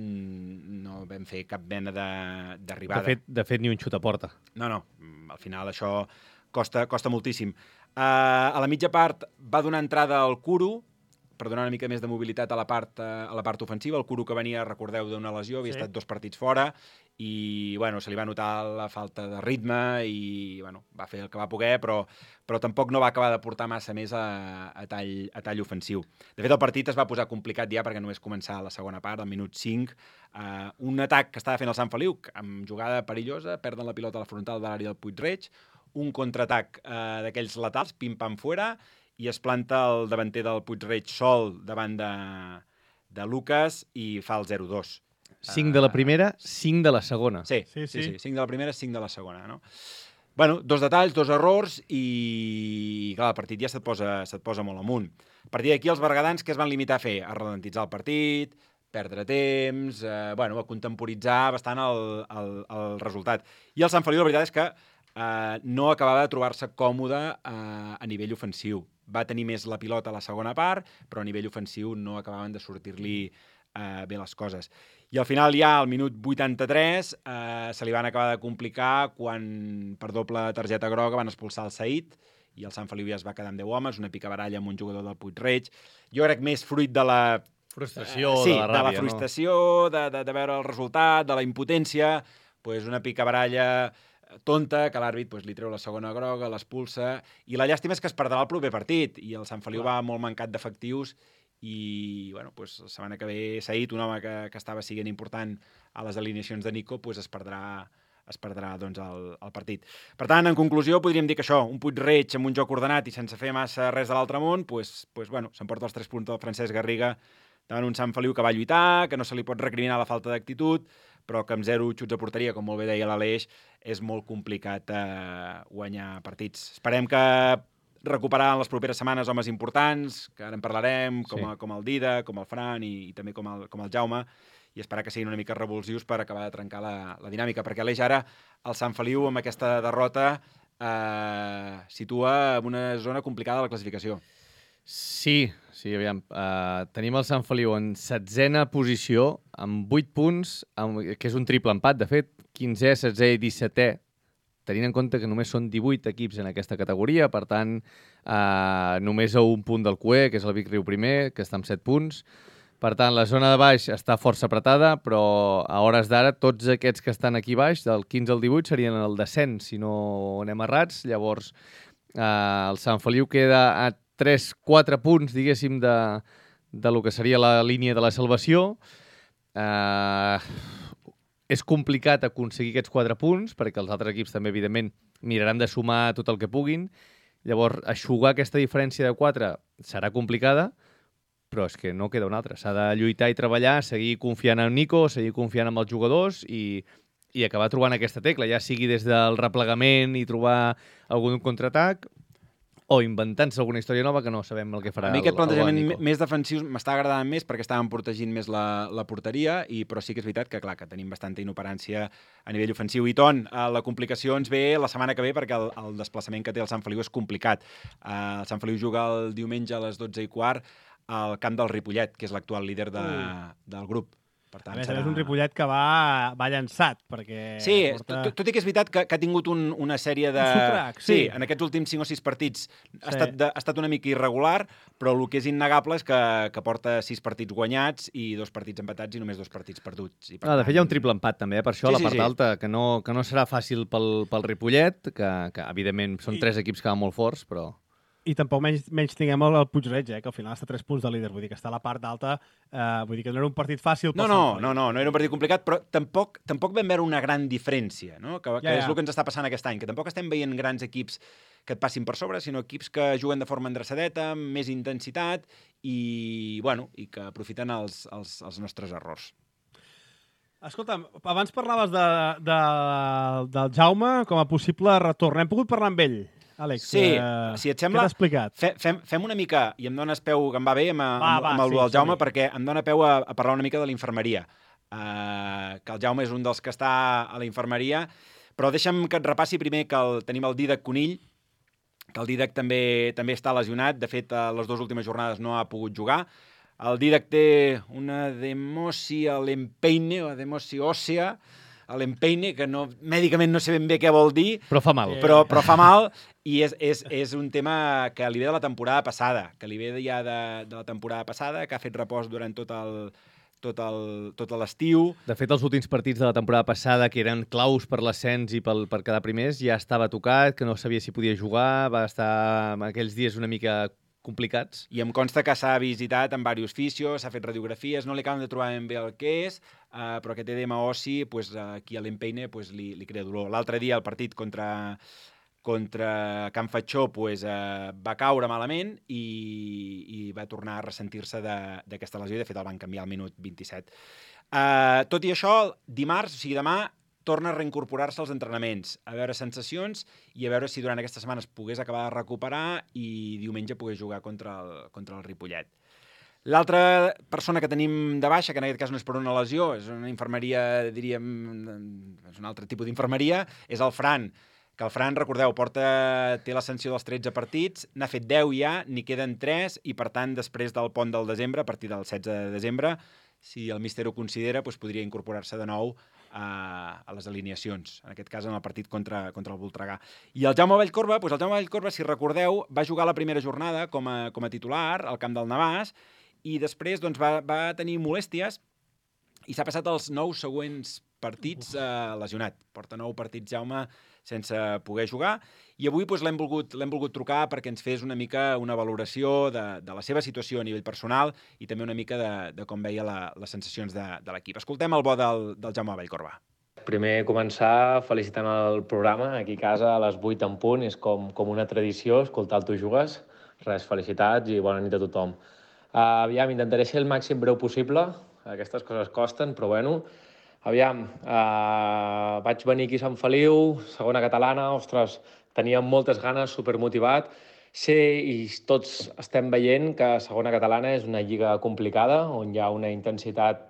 no vam fer cap mena de- d'arribada. De fet, de fet, ni un xut a porta. No, no, al final això costa, costa moltíssim. Uh, a la mitja part va donar entrada al Kuru, per donar una mica més de mobilitat a la part, a la part ofensiva. El Kuru que venia, recordeu, d'una lesió, havia Sí. estat dos partits fora, i bueno, se li va notar la falta de ritme i bueno, va fer el que va poder, però, però tampoc no va acabar de portar massa més a, a, tall, a tall ofensiu. De fet, el partit es va posar complicat ja perquè només començar la segona part, al minut cinc, uh, un atac que estava fent el Sant Feliu, amb jugada perillosa, perden la pilota a la frontal de l'àrea del Puig-reig, un contraatac uh, d'aquells laterals, pim-pam fora, i es planta el davanter del Puig-reig sol davant de, de Lucas i fa el zero dos. cinc de la primera, cinc de la segona. Sí, Sí, sí, sí. sí, cinc de la primera, cinc de la segona, no? Bueno, dos detalls, dos errors i, clar, el partit ja se't posa, se't posa molt amunt. A partir d'aquí, els bergadans què es van limitar a fer? A ralentitzar el partit, perdre temps, eh, bueno, a contemporitzar bastant el, el, el resultat. I el Sant Feliu, la veritat és que eh, no acabava de trobar-se còmode eh, a nivell ofensiu. Va tenir més la pilota a la segona part, però a nivell ofensiu no acabaven de sortir-li eh, bé les coses. I al final ja, al minut vuitanta-tres, eh, se li van acabar de complicar quan, per doble targeta groga, van expulsar el Saïd i el Sant Feliu ja es va quedar amb deu homes, una picabaralla amb un jugador del Puig-reig. Jo crec més fruit de la... Frustració, eh, sí, de la ràbia, de la frustració, no? de, de, de veure el resultat, de la impotència, pues una picabaralla tonta, que l'àrbit pues, li treu la segona groga, l'expulsa, i la llàstima és que es perdrà el proper partit, i el Sant Feliu va molt mancat d'efectius, i bueno, pues, la setmana que ve Saïd, un home que, que estava siguent important a les alineacions de Nico, pues, es perdrà, es perdrà doncs, el, el partit. Per tant, en conclusió, podríem dir que això, un Puig-reig amb un joc ordenat i sense fer massa res de l'altre món, pues, pues, bueno, s'emporta els tres punts del Francesc Garriga davant un Sant Feliu que va lluitar, que no se li pot recriminar la falta d'actitud, però que amb zero xuts a porteria, com molt bé deia l'Aleix, és molt complicat eh, guanyar partits. Esperem que recuperar en les properes setmanes homes importants, que ara en parlarem, com, Sí. a, com el Dida, com el Fran i, i també com el, com el Jaume, i esperar que siguin una mica revulsius per acabar de trencar la, la dinàmica, perquè Aleix ara el Sant Feliu amb aquesta derrota eh, situa en una zona complicada de la classificació. Sí, sí, aviam. Uh, tenim el Sant Feliu en setzena posició, amb vuit punts, amb, que és un triple empat, de fet, quinzè, setzè i dissetè, tenint en compte que només són divuit equips en aquesta categoria, per tant, uh, només a un punt del Q E, que és el Vic Riu primer, que està amb set punts. Per tant, la zona de baix està força apretada, però a hores d'ara tots aquests que estan aquí baix, del quinze al divuit, serien el descens, si no anem errats. Llavors, uh, el Sant Feliu queda a tres quatre punts, diguéssim, de, de lo que seria la línia de la salvació. Uh, és complicat aconseguir aquests quatre punts, perquè els altres equips també, evidentment, miraran de sumar tot el que puguin. Llavors, eixugar aquesta diferència de quatre serà complicada, però és que no queda una altra. S'ha de lluitar i treballar, seguir confiant en Nico, seguir confiant en els jugadors i, i acabar trobant aquesta tecla, ja sigui des del replegament i trobar algun contraatac, o inventant-se alguna història nova que no sabem el que farà A mi el, aquest plantejament el Nico. més defensiu m'està agradant més perquè estàvem protegint més la, la porteria, i, però sí que és veritat que, clar, que tenim bastanta inoperància a nivell ofensiu. I, Ton, eh, la complicació ens ve la setmana que ve perquè el, el desplaçament que té el Sant Feliu és complicat. Uh, el Sant Feliu juga el diumenge a les dotze i quart al camp del Ripollet, que és l'actual líder de, del grup. Per tant, A més, serà... és un Ripollet que va, va llançat, perquè... Sí, porta... tot, tot i que és veritat que, que ha tingut un, una sèrie de... Un sotrac, sí. sí. En aquests últims cinc o sis partits ha, Sí. estat de, ha estat una mica irregular, però el que és innegable és que, que porta sis partits guanyats i dos partits empatats i només dos partits perduts. I per Ah, de fet, hi ha un triple empat, també, eh? Per això, Sí, a la sí, part sí. alta, que no, que no serà fàcil pel, pel Ripollet, que, que evidentment són I- tres equips que van molt forts, però... I tampoc menys, menys tinguem el, el Puig-reig, eh, que al final està a tres punts de líder. Vull dir que està a la part alta. Eh, vull dir que no era un partit fàcil. No, pel no, Sant Feliu. no, no, no era un partit complicat, però tampoc, tampoc vam veure una gran diferència, no? que, que Ja, ja. és el que ens està passant aquest any, que tampoc estem veient grans equips que et passin per sobre, sinó equips que juguen de forma endreçadeta, amb més intensitat i, bueno, i que aprofiten els, els, els nostres errors. Escolta'm, abans parlaves de, de, del Jaume com a possible retorn. Hem pogut parlar amb ell, Àlex. Sí, eh, si et Què sembla, t'ha explicat? fe, fem, fem una mica, i em dones peu, que em va bé, amb, Va, amb, va, amb el sí, del Jaume, som-hi. perquè em dona peu a, a parlar una mica de l'infermeria. Uh, que el Jaume és un dels que està a la infermeria, però deixa'm que et repassi primer que el, tenim el Dídac Conill, que el Dídac també, també està lesionat. De fet, a les dues últimes jornades no ha pogut jugar. El Didac té una demosi a l'empeine, o demosi òssea, a l'empeine, que no, mèdicament no sé ben bé què vol dir. Però fa mal. Però, però fa mal, i és, és, és un tema que li ve de la temporada passada, que li ve ja de, de la temporada passada, que ha fet repòs durant tot el tot el, tot l'estiu. De fet, els últims partits de la temporada passada, que eren claus per l'ascens i pel, per quedar primers, ja estava tocat, que no sabia si podia jugar, va estar en aquells dies una mica complicats. I em consta que s'ha visitat amb diversos fisios, s'ha fet radiografies, no li acaben de trobar ben bé el que és, uh, però aquest edema ossi, pues, aquí a l'empeine, pues, li, li crea dolor. L'altre dia, el partit contra... contra Can Fatxó pues, eh, va caure malament i, i va tornar a ressentir-se d'aquesta lesió i, de fet, el van canviar al minut vint-i-set. Eh, tot i això, dimarts, o sigui, demà, torna a reincorporar-se als entrenaments, a veure sensacions i a veure si durant aquesta setmana es pogués acabar de recuperar i diumenge pogués jugar contra el, contra el Ripollet. L'altra persona que tenim de baixa, que en aquest cas no és per una lesió, és una infermeria, diríem, és un altre tipus d'infermeria, és el Fran, que el Fran, recordeu, porta, té l'ascensió dels tretze partits, n'ha fet deu ja, n'hi queden tres, i per tant, després del pont del desembre, a partir del setze de desembre, si el míster ho considera, doncs podria incorporar-se de nou a, a les alineacions, en aquest cas en el partit contra, contra el Voltregà. I el Jaume Vallcorba, doncs el Jaume Vallcorba, si recordeu, va jugar la primera jornada com a, com a titular al camp del Navàs, i després doncs, va, va tenir molèsties i s'ha passat els nou següents partits eh, lesionat. Porta nou partits, Jaume, sense poder jugar, i avui doncs, l'hem volgut, l'hem volgut trucar perquè ens fes una mica una valoració de, de la seva situació a nivell personal i també una mica de, de com veia la, les sensacions de, de l'equip. Escoltem el bo del, del Jaume Vallcorba. Primer començar felicitant el programa, aquí a casa a les vuit en punt, és com, com una tradició escoltar el Tu Jugues. Res, felicitats i bona nit a tothom. Uh, aviam, intentaré ser el màxim breu possible, aquestes coses costen, però bueno. Aviam, uh, vaig venir aquí a Sant Feliu, segona catalana, ostres, tenia moltes ganes, supermotivat. Sé i tots estem veient que segona catalana és una lliga complicada, on hi ha una intensitat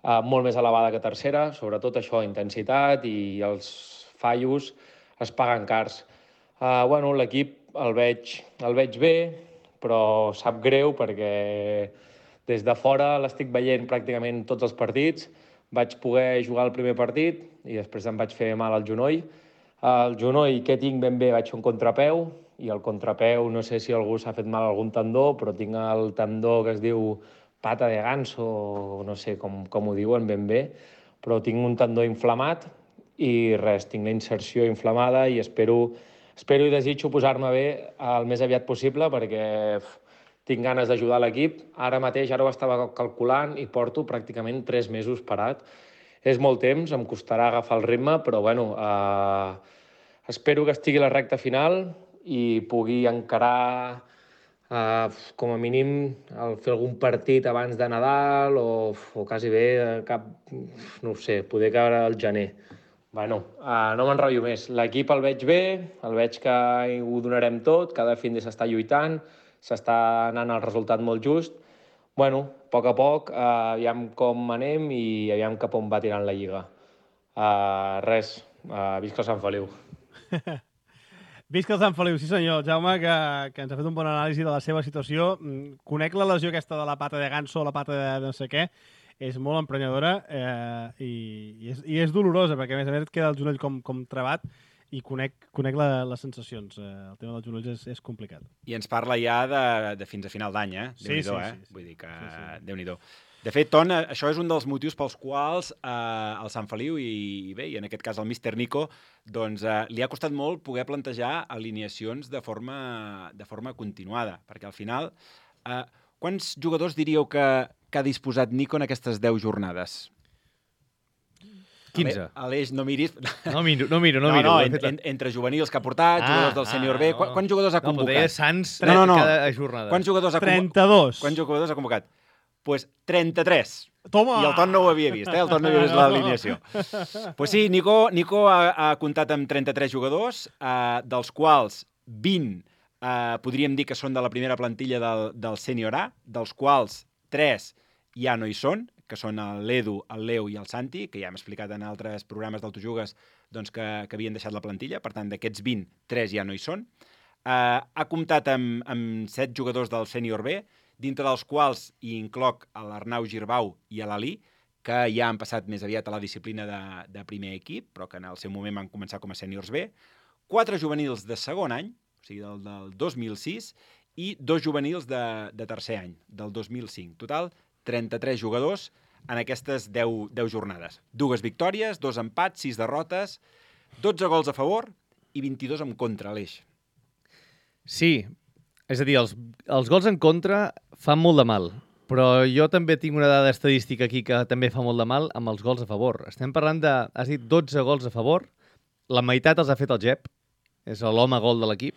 uh, molt més elevada que tercera, sobretot això, intensitat, i els fallos es paguen cars. Uh, bueno, l'equip el veig, el veig bé, però sap greu perquè des de fora l'estic veient pràcticament tots els partits. Vaig poder jugar el primer partit i després em vaig fer mal al genoll. El genoll que tinc ben bé vaig fer un contrapeu i el contrapeu no sé si algú s'ha fet mal a algun tendó, però tinc el tendó que es diu pata de ganso, no sé com, com ho diuen ben bé, però tinc un tendó inflamat i res, tinc la inserció inflamada i espero, espero i desitjo posar-me bé el més aviat possible perquè tinc ganes d'ajudar l'equip. Ara mateix, ara ho estava calculant i porto pràcticament tres mesos parat. És molt temps, em costarà agafar el ritme, però bueno, eh, espero que estigui a la recta final i pugui encarar eh, com a mínim el fer algun partit abans de Nadal o, o quasi bé cap, no ho sé, poder caure al gener. Bueno, eh, no m'enrotllo més. L'equip el veig bé, el veig que ho donarem tot, cada fin de s'està lluitant, s'està anant el resultat molt just. Bueno, a poc a poc, eh, aviam com anem i aviam cap on va tirant la Lliga. Uh, res, uh, visca el Sant Feliu. Visca el Sant Feliu, sí senyor. Jaume, que, que ens ha fet un bon anàlisi de la seva situació. Conec la lesió aquesta de la pata de ganso, la pata de no sé què, és molt emprenyadora eh, i, i, és, i és dolorosa, perquè a més a més et queda el genoll com, com trebat, i conec, conec la, les sensacions. Eh, el tema dels genolls és, és complicat. I ens parla ja de, de fins a final d'any, eh? Sí, Déu-n'hi-do, sí, eh? sí, sí. Vull dir que... Sí, sí. Déu-n'hi-do. De fet, Ton, això és un dels motius pels quals eh, el Sant Feliu i, i bé, i en aquest cas el míster Nico, doncs eh, li ha costat molt poder plantejar alineacions de forma, de forma continuada, perquè al final, eh, quants jugadors diríeu que, que ha disposat Nico en aquestes deu jornades? quinze. Aleix, no miris... No miro, no miro. No, no, miro. no en, en, entre juvenils que ha portat, ah, jugadors del sènior B... No. Quants jugadors ha convocat? No, deia Sants no, no, no. cada jornada. Quants jugadors ha convocat? trenta-dos. Quants jugadors ha convocat? Doncs pues trenta-tres. Toma! I el Ton no ho havia vist, eh? El Ton no havia vist l'alineació. Doncs pues sí, Nico, Nico ha, ha comptat amb trenta-tres jugadors, eh, dels quals vint eh, podríem dir que són de la primera plantilla del, del sènior A, dels quals tres ja no hi són, que són l'Edu, el Leo i el Santi, que ja hem explicat en altres programes d'Autojugues doncs, que, que havien deixat la plantilla. Per tant, d'aquests vint, tres ja no hi són. Uh, ha comptat amb, amb set jugadors del sènior B, dintre dels quals hi incloc a l'Arnau Girbau i a l'Ali, que ja han passat més aviat a la disciplina de, de primer equip, però que en el seu moment van començar com a sèniors B, quatre juvenils de segon any, o sigui, del, del dos mil sis, i dos juvenils de, de tercer any, del dos mil cinc. Total, trenta-tres jugadors en aquestes deu, deu jornades. Dues victòries, dos empats, sis derrotes, dotze gols a favor i vint-i-dos en contra, Aleix. Sí, és a dir, els, els gols en contra fan molt de mal, però jo també tinc una dada estadística aquí que també fa molt de mal amb els gols a favor. Estem parlant de, has dit, dotze gols a favor, la meitat els ha fet el Gep, és l'home gol de l'equip,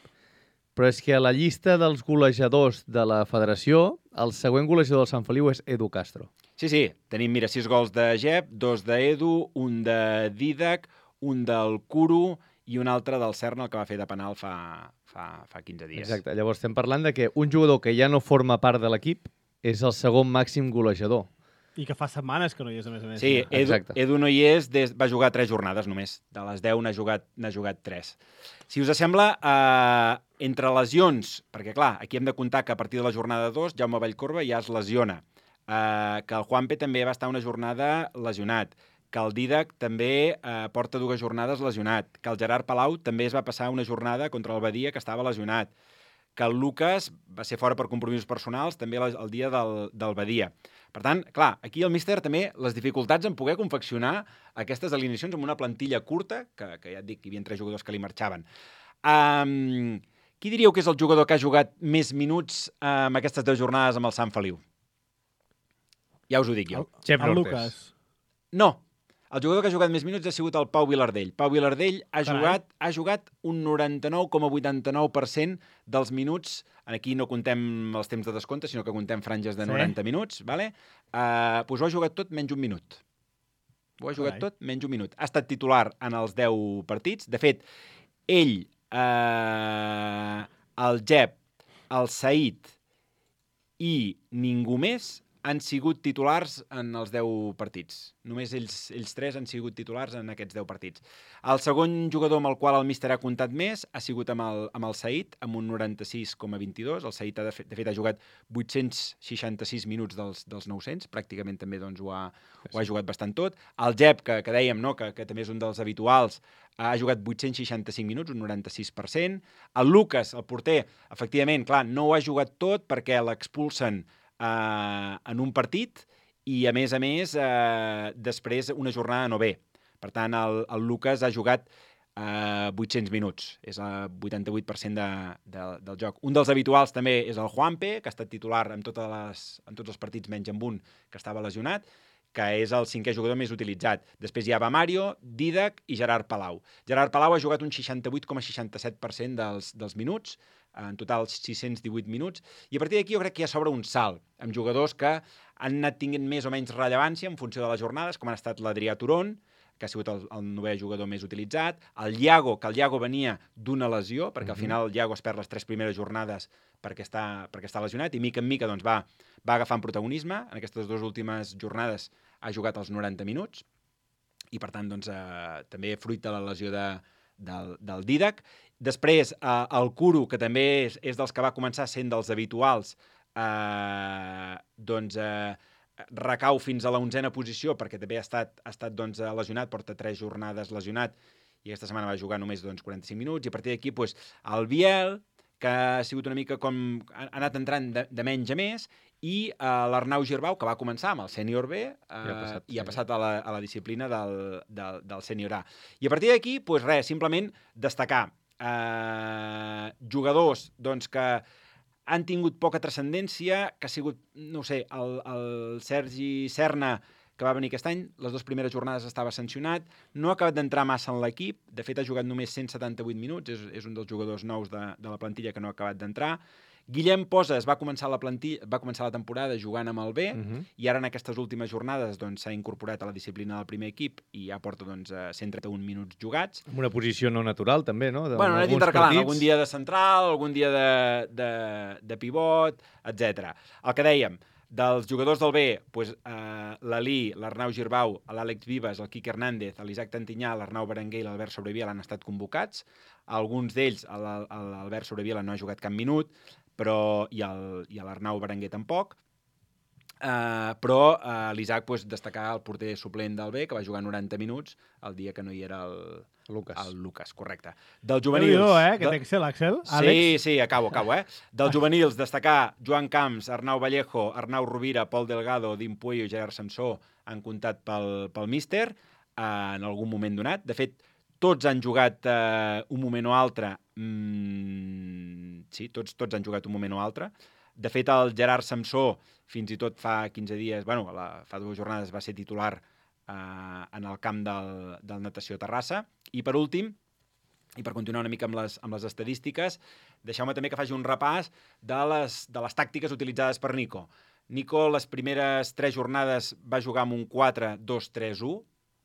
però és que a la llista dels golejadors de la federació, el següent golejador del Sant Feliu és Edu Castro. Sí, sí, tenim, mira, sis gols de Gep, dos d'Edu, un de Didac, un del Curo i un altre del Serna, el que va fer de penal fa, fa, fa quinze dies. Exacte, llavors estem parlant de que un jugador que ja no forma part de l'equip és el segon màxim golejador. I que fa setmanes que no hi és, a més a més. Sí, Edu, Edu no hi és, des, va jugar tres jornades només. De les deu n'ha jugat, n'ha jugat tres. Si us sembla, eh, entre lesions, perquè clar, aquí hem de comptar que a partir de la jornada dos, Jaume Vallcorba ja es lesiona, eh, que el Juanpe també va estar una jornada lesionat, que el Didac també eh, porta dues jornades lesionat, que el Gerard Palau també es va passar una jornada contra el Badia que estava lesionat, que el Lucas va ser fora per compromisos personals també el dia del, del Badia. Per tant, clar, aquí el míster també les dificultats en poder confeccionar aquestes alineacions amb una plantilla curta, que, que ja et dic que hi havia tres jugadors que li marxaven. Um, qui diríeu que és el jugador que ha jugat més minuts uh, en aquestes deu jornades amb el Sant Feliu? Ja us ho dic jo. El, el Lucas. No. El jugador que ha jugat més minuts ha sigut el Pau Vilardell. Pau Vilardell ha jugat, ha jugat un noranta-nou coma vuitanta-nou per cent dels minuts. Aquí no contem els temps de descompte, sinó que contem franges de sí. noranta minuts. Vale? Uh, doncs ho ha jugat tot menys un minut. Ho ha jugat Carai. tot menys un minut. Ha estat titular en els deu partits. De fet, ell, uh, el Gep, el Saïd i ningú més han sigut titulars en els deu partits. Només ells, ells tres han sigut titulars en aquests deu partits. El segon jugador amb el qual el míster ha comptat més ha sigut amb el, amb el Saïd, amb un noranta-sis coma vint-i-dos. El Saïd, de fet, de fet ha jugat vuit-cents seixanta-sis minuts dels, dels nou-cents. Pràcticament també doncs, ho, ha, ho ha jugat bastant tot. El Gep, que, que dèiem, no? que, que també és un dels habituals, ha jugat vuit-cents seixanta-cinc minuts, un noranta-sis per cent. El Lucas, el porter, efectivament, clar, no ho ha jugat tot perquè l'expulsen Uh, en un partit i, a més a més, uh, després una jornada no bé. Per tant, el, el Lucas ha jugat uh, vuit-cents minuts. És el vuitanta-vuit per cent de, de, del joc. Un dels habituals també és el Juanpe, que ha estat titular en, totes les, en tots els partits menys en un, que estava lesionat, que és el cinquè jugador més utilitzat. Després hi ha Mario, Didac i Gerard Palau. Gerard Palau ha jugat un seixanta-vuit coma seixanta-set per cent dels, dels minuts, en total sis-cents divuit minuts, i a partir d'aquí jo crec que ja s'obre un salt, amb jugadors que han anat tinguent més o menys rellevància en funció de les jornades, com han estat l'Adrià Turon, que ha sigut el, el novè jugador més utilitzat, el Iago, que el Iago venia d'una lesió, perquè al final el Iago es perd les tres primeres jornades perquè està, perquè està lesionat, i mica en mica doncs, va, va agafant protagonisme. En aquestes dues últimes jornades ha jugat els noranta minuts, i per tant doncs, eh, també fruit de la lesió de, del, del Didac. Després, eh, el Curo, que també és, és dels que va començar sent dels habituals, eh, doncs eh, recau fins a la onzena posició, perquè també ha estat, ha estat doncs, lesionat, porta tres jornades lesionat, i aquesta setmana va jugar només doncs, quaranta-cinc minuts, i a partir d'aquí doncs, el Biel, que ha sigut una mica com... ha anat entrant de, de menys a més, i uh, l'Arnau Girbau, que va començar amb el sènior B, uh, I ha passat, i ha passat a, la, a la disciplina del, del, del sènior A. I a partir d'aquí, doncs res, simplement destacar uh, jugadors doncs, que han tingut poca transcendència, que ha sigut, no sé, el, el Sergi Serna, que va venir aquest any, les dues primeres jornades estava sancionat, no ha acabat d'entrar massa en l'equip, de fet ha jugat només cent setanta-vuit minuts, és, és un dels jugadors nous de, de la plantilla que no ha acabat d'entrar. Guillem Poses va començar la plantilla, va començar la temporada jugant amb el B, uh-huh. i ara en aquestes últimes jornades doncs, s'ha incorporat a la disciplina del primer equip i ja porta doncs, cent trenta-un minuts jugats. Amb una posició no natural, també, no? De, bueno, ha anat intercalant, algun dia de central, algun dia de, de, de pivot, etcètera. El que dèiem, dels jugadors del B, doncs, eh, l'Ali, l'Arnau Girbau, l'Àlex Vives, el Quique Hernández, l'Isaac Tantinyà, l'Arnau Berenguer i l'Albert Sobreviela han estat convocats. Alguns d'ells, l'Albert Sobreviela no ha jugat cap minut. però i l'Arnau Berenguer tampoc. Uh, però uh, l'Isaac pues, destacar el porter suplent del B, que va jugar noranta minuts el dia que no hi era el Lucas. El Lucas, correcte. Del juvenils... Déu-n'hi-do, eh? Aquest Excel, Axel. Sí, sí, acabo, acabo, eh? Del juvenils, destacar Joan Camps, Arnau Vallejo, Arnau Rovira, Pol Delgado, Dim Puello i Gerard Samsó han comptat pel, pel míster eh, en algun moment donat. De fet, tots han jugat eh, un moment o altre. Mm, sí, tots, tots han jugat un moment o altre. De fet, el Gerard Samsó, fins i tot fa quinze dies, bueno, la, fa dues jornades va ser titular eh, en el camp del, del Natació Terrassa. I per últim, i per continuar una mica amb les, amb les estadístiques, deixeu-me també que faci un repàs de les, de les tàctiques utilitzades per Nico. Nico, les primeres tres jornades va jugar amb un quatre dos tres u,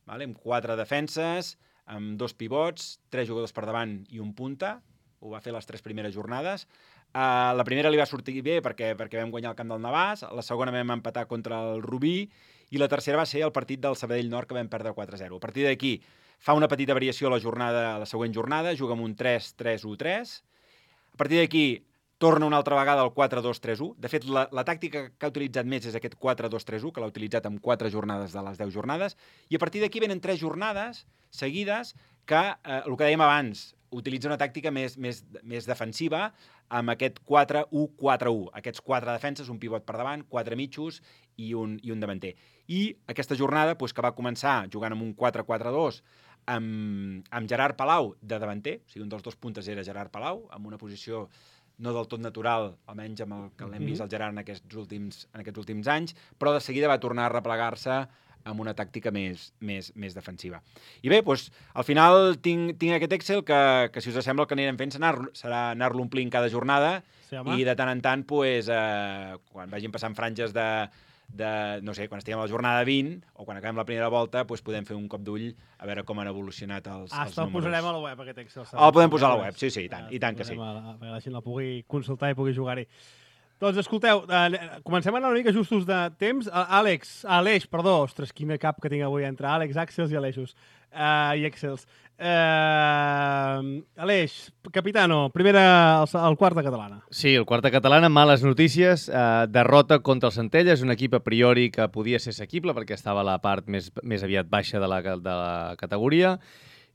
vale? Amb quatre defenses, amb dos pivots, tres jugadors per davant i un punta. Ho va fer les tres primeres jornades. Uh, la primera li va sortir bé perquè, perquè vam guanyar el camp del Navàs, la segona vam empatar contra el Rubí i la tercera va ser el partit del Sabadell Nord que vam perdre quatre a zero. A partir d'aquí fa una petita variació a la, jornada, a la següent jornada, juga amb un tres tres u tres. A partir d'aquí torna una altra vegada al quatre dos tres u. De fet, la, la tàctica que ha utilitzat més és aquest quatre dos tres u, que l'ha utilitzat en quatre jornades de les deu jornades. I a partir d'aquí venen tres jornades seguides que, eh, el que dèiem abans, utilitza una tàctica més, més, més defensiva amb aquest quatre u quatre u. Aquests quatre defenses, un pivot per davant, quatre mitjos i un, i un davanter. I aquesta jornada, doncs, que va començar jugant amb un quatre quatre dos amb, amb Gerard Palau de davanter, o sigui, un dels dos puntes era Gerard Palau, amb una posició no del tot natural, almenys amb el que l'hem vist al Gerard en aquests últims, en aquests últims anys, però de seguida va tornar a replegar-se amb una tàctica més, més, més defensiva. I bé, doncs, al final tinc, tinc aquest Excel que, que, si us sembla, el que anirem fent serà, serà anar-lo omplint cada jornada sí, i de tant en tant, doncs, eh, quan vagin passant franges de, de, no sé, quan estiguem a la jornada vint o quan acabem la primera volta, doncs podem fer un cop d'ull a veure com han evolucionat els, ah, els el números. posarem a la web, aquest Excel. El podem posar a la web, sí, sí, i tant, i tant que sí. La, perquè la gent la pugui consultar i pugui jugar-hi. Doncs escolteu, eh, comencem a anar una mica justos de temps. Àlex, Aleix, perdó, ostres, quina cap que tinc avui entre Àlex, Àxels i Aleixos. Uh, I Excels. Uh, Aleix, capitano, primera, el, el quarta catalana. Sí, el quarta catalana, males notícies. Uh, derrota contra el Centelles, un equip a priori que podia ser assequible perquè estava a la part més, més aviat baixa de la, de la categoria.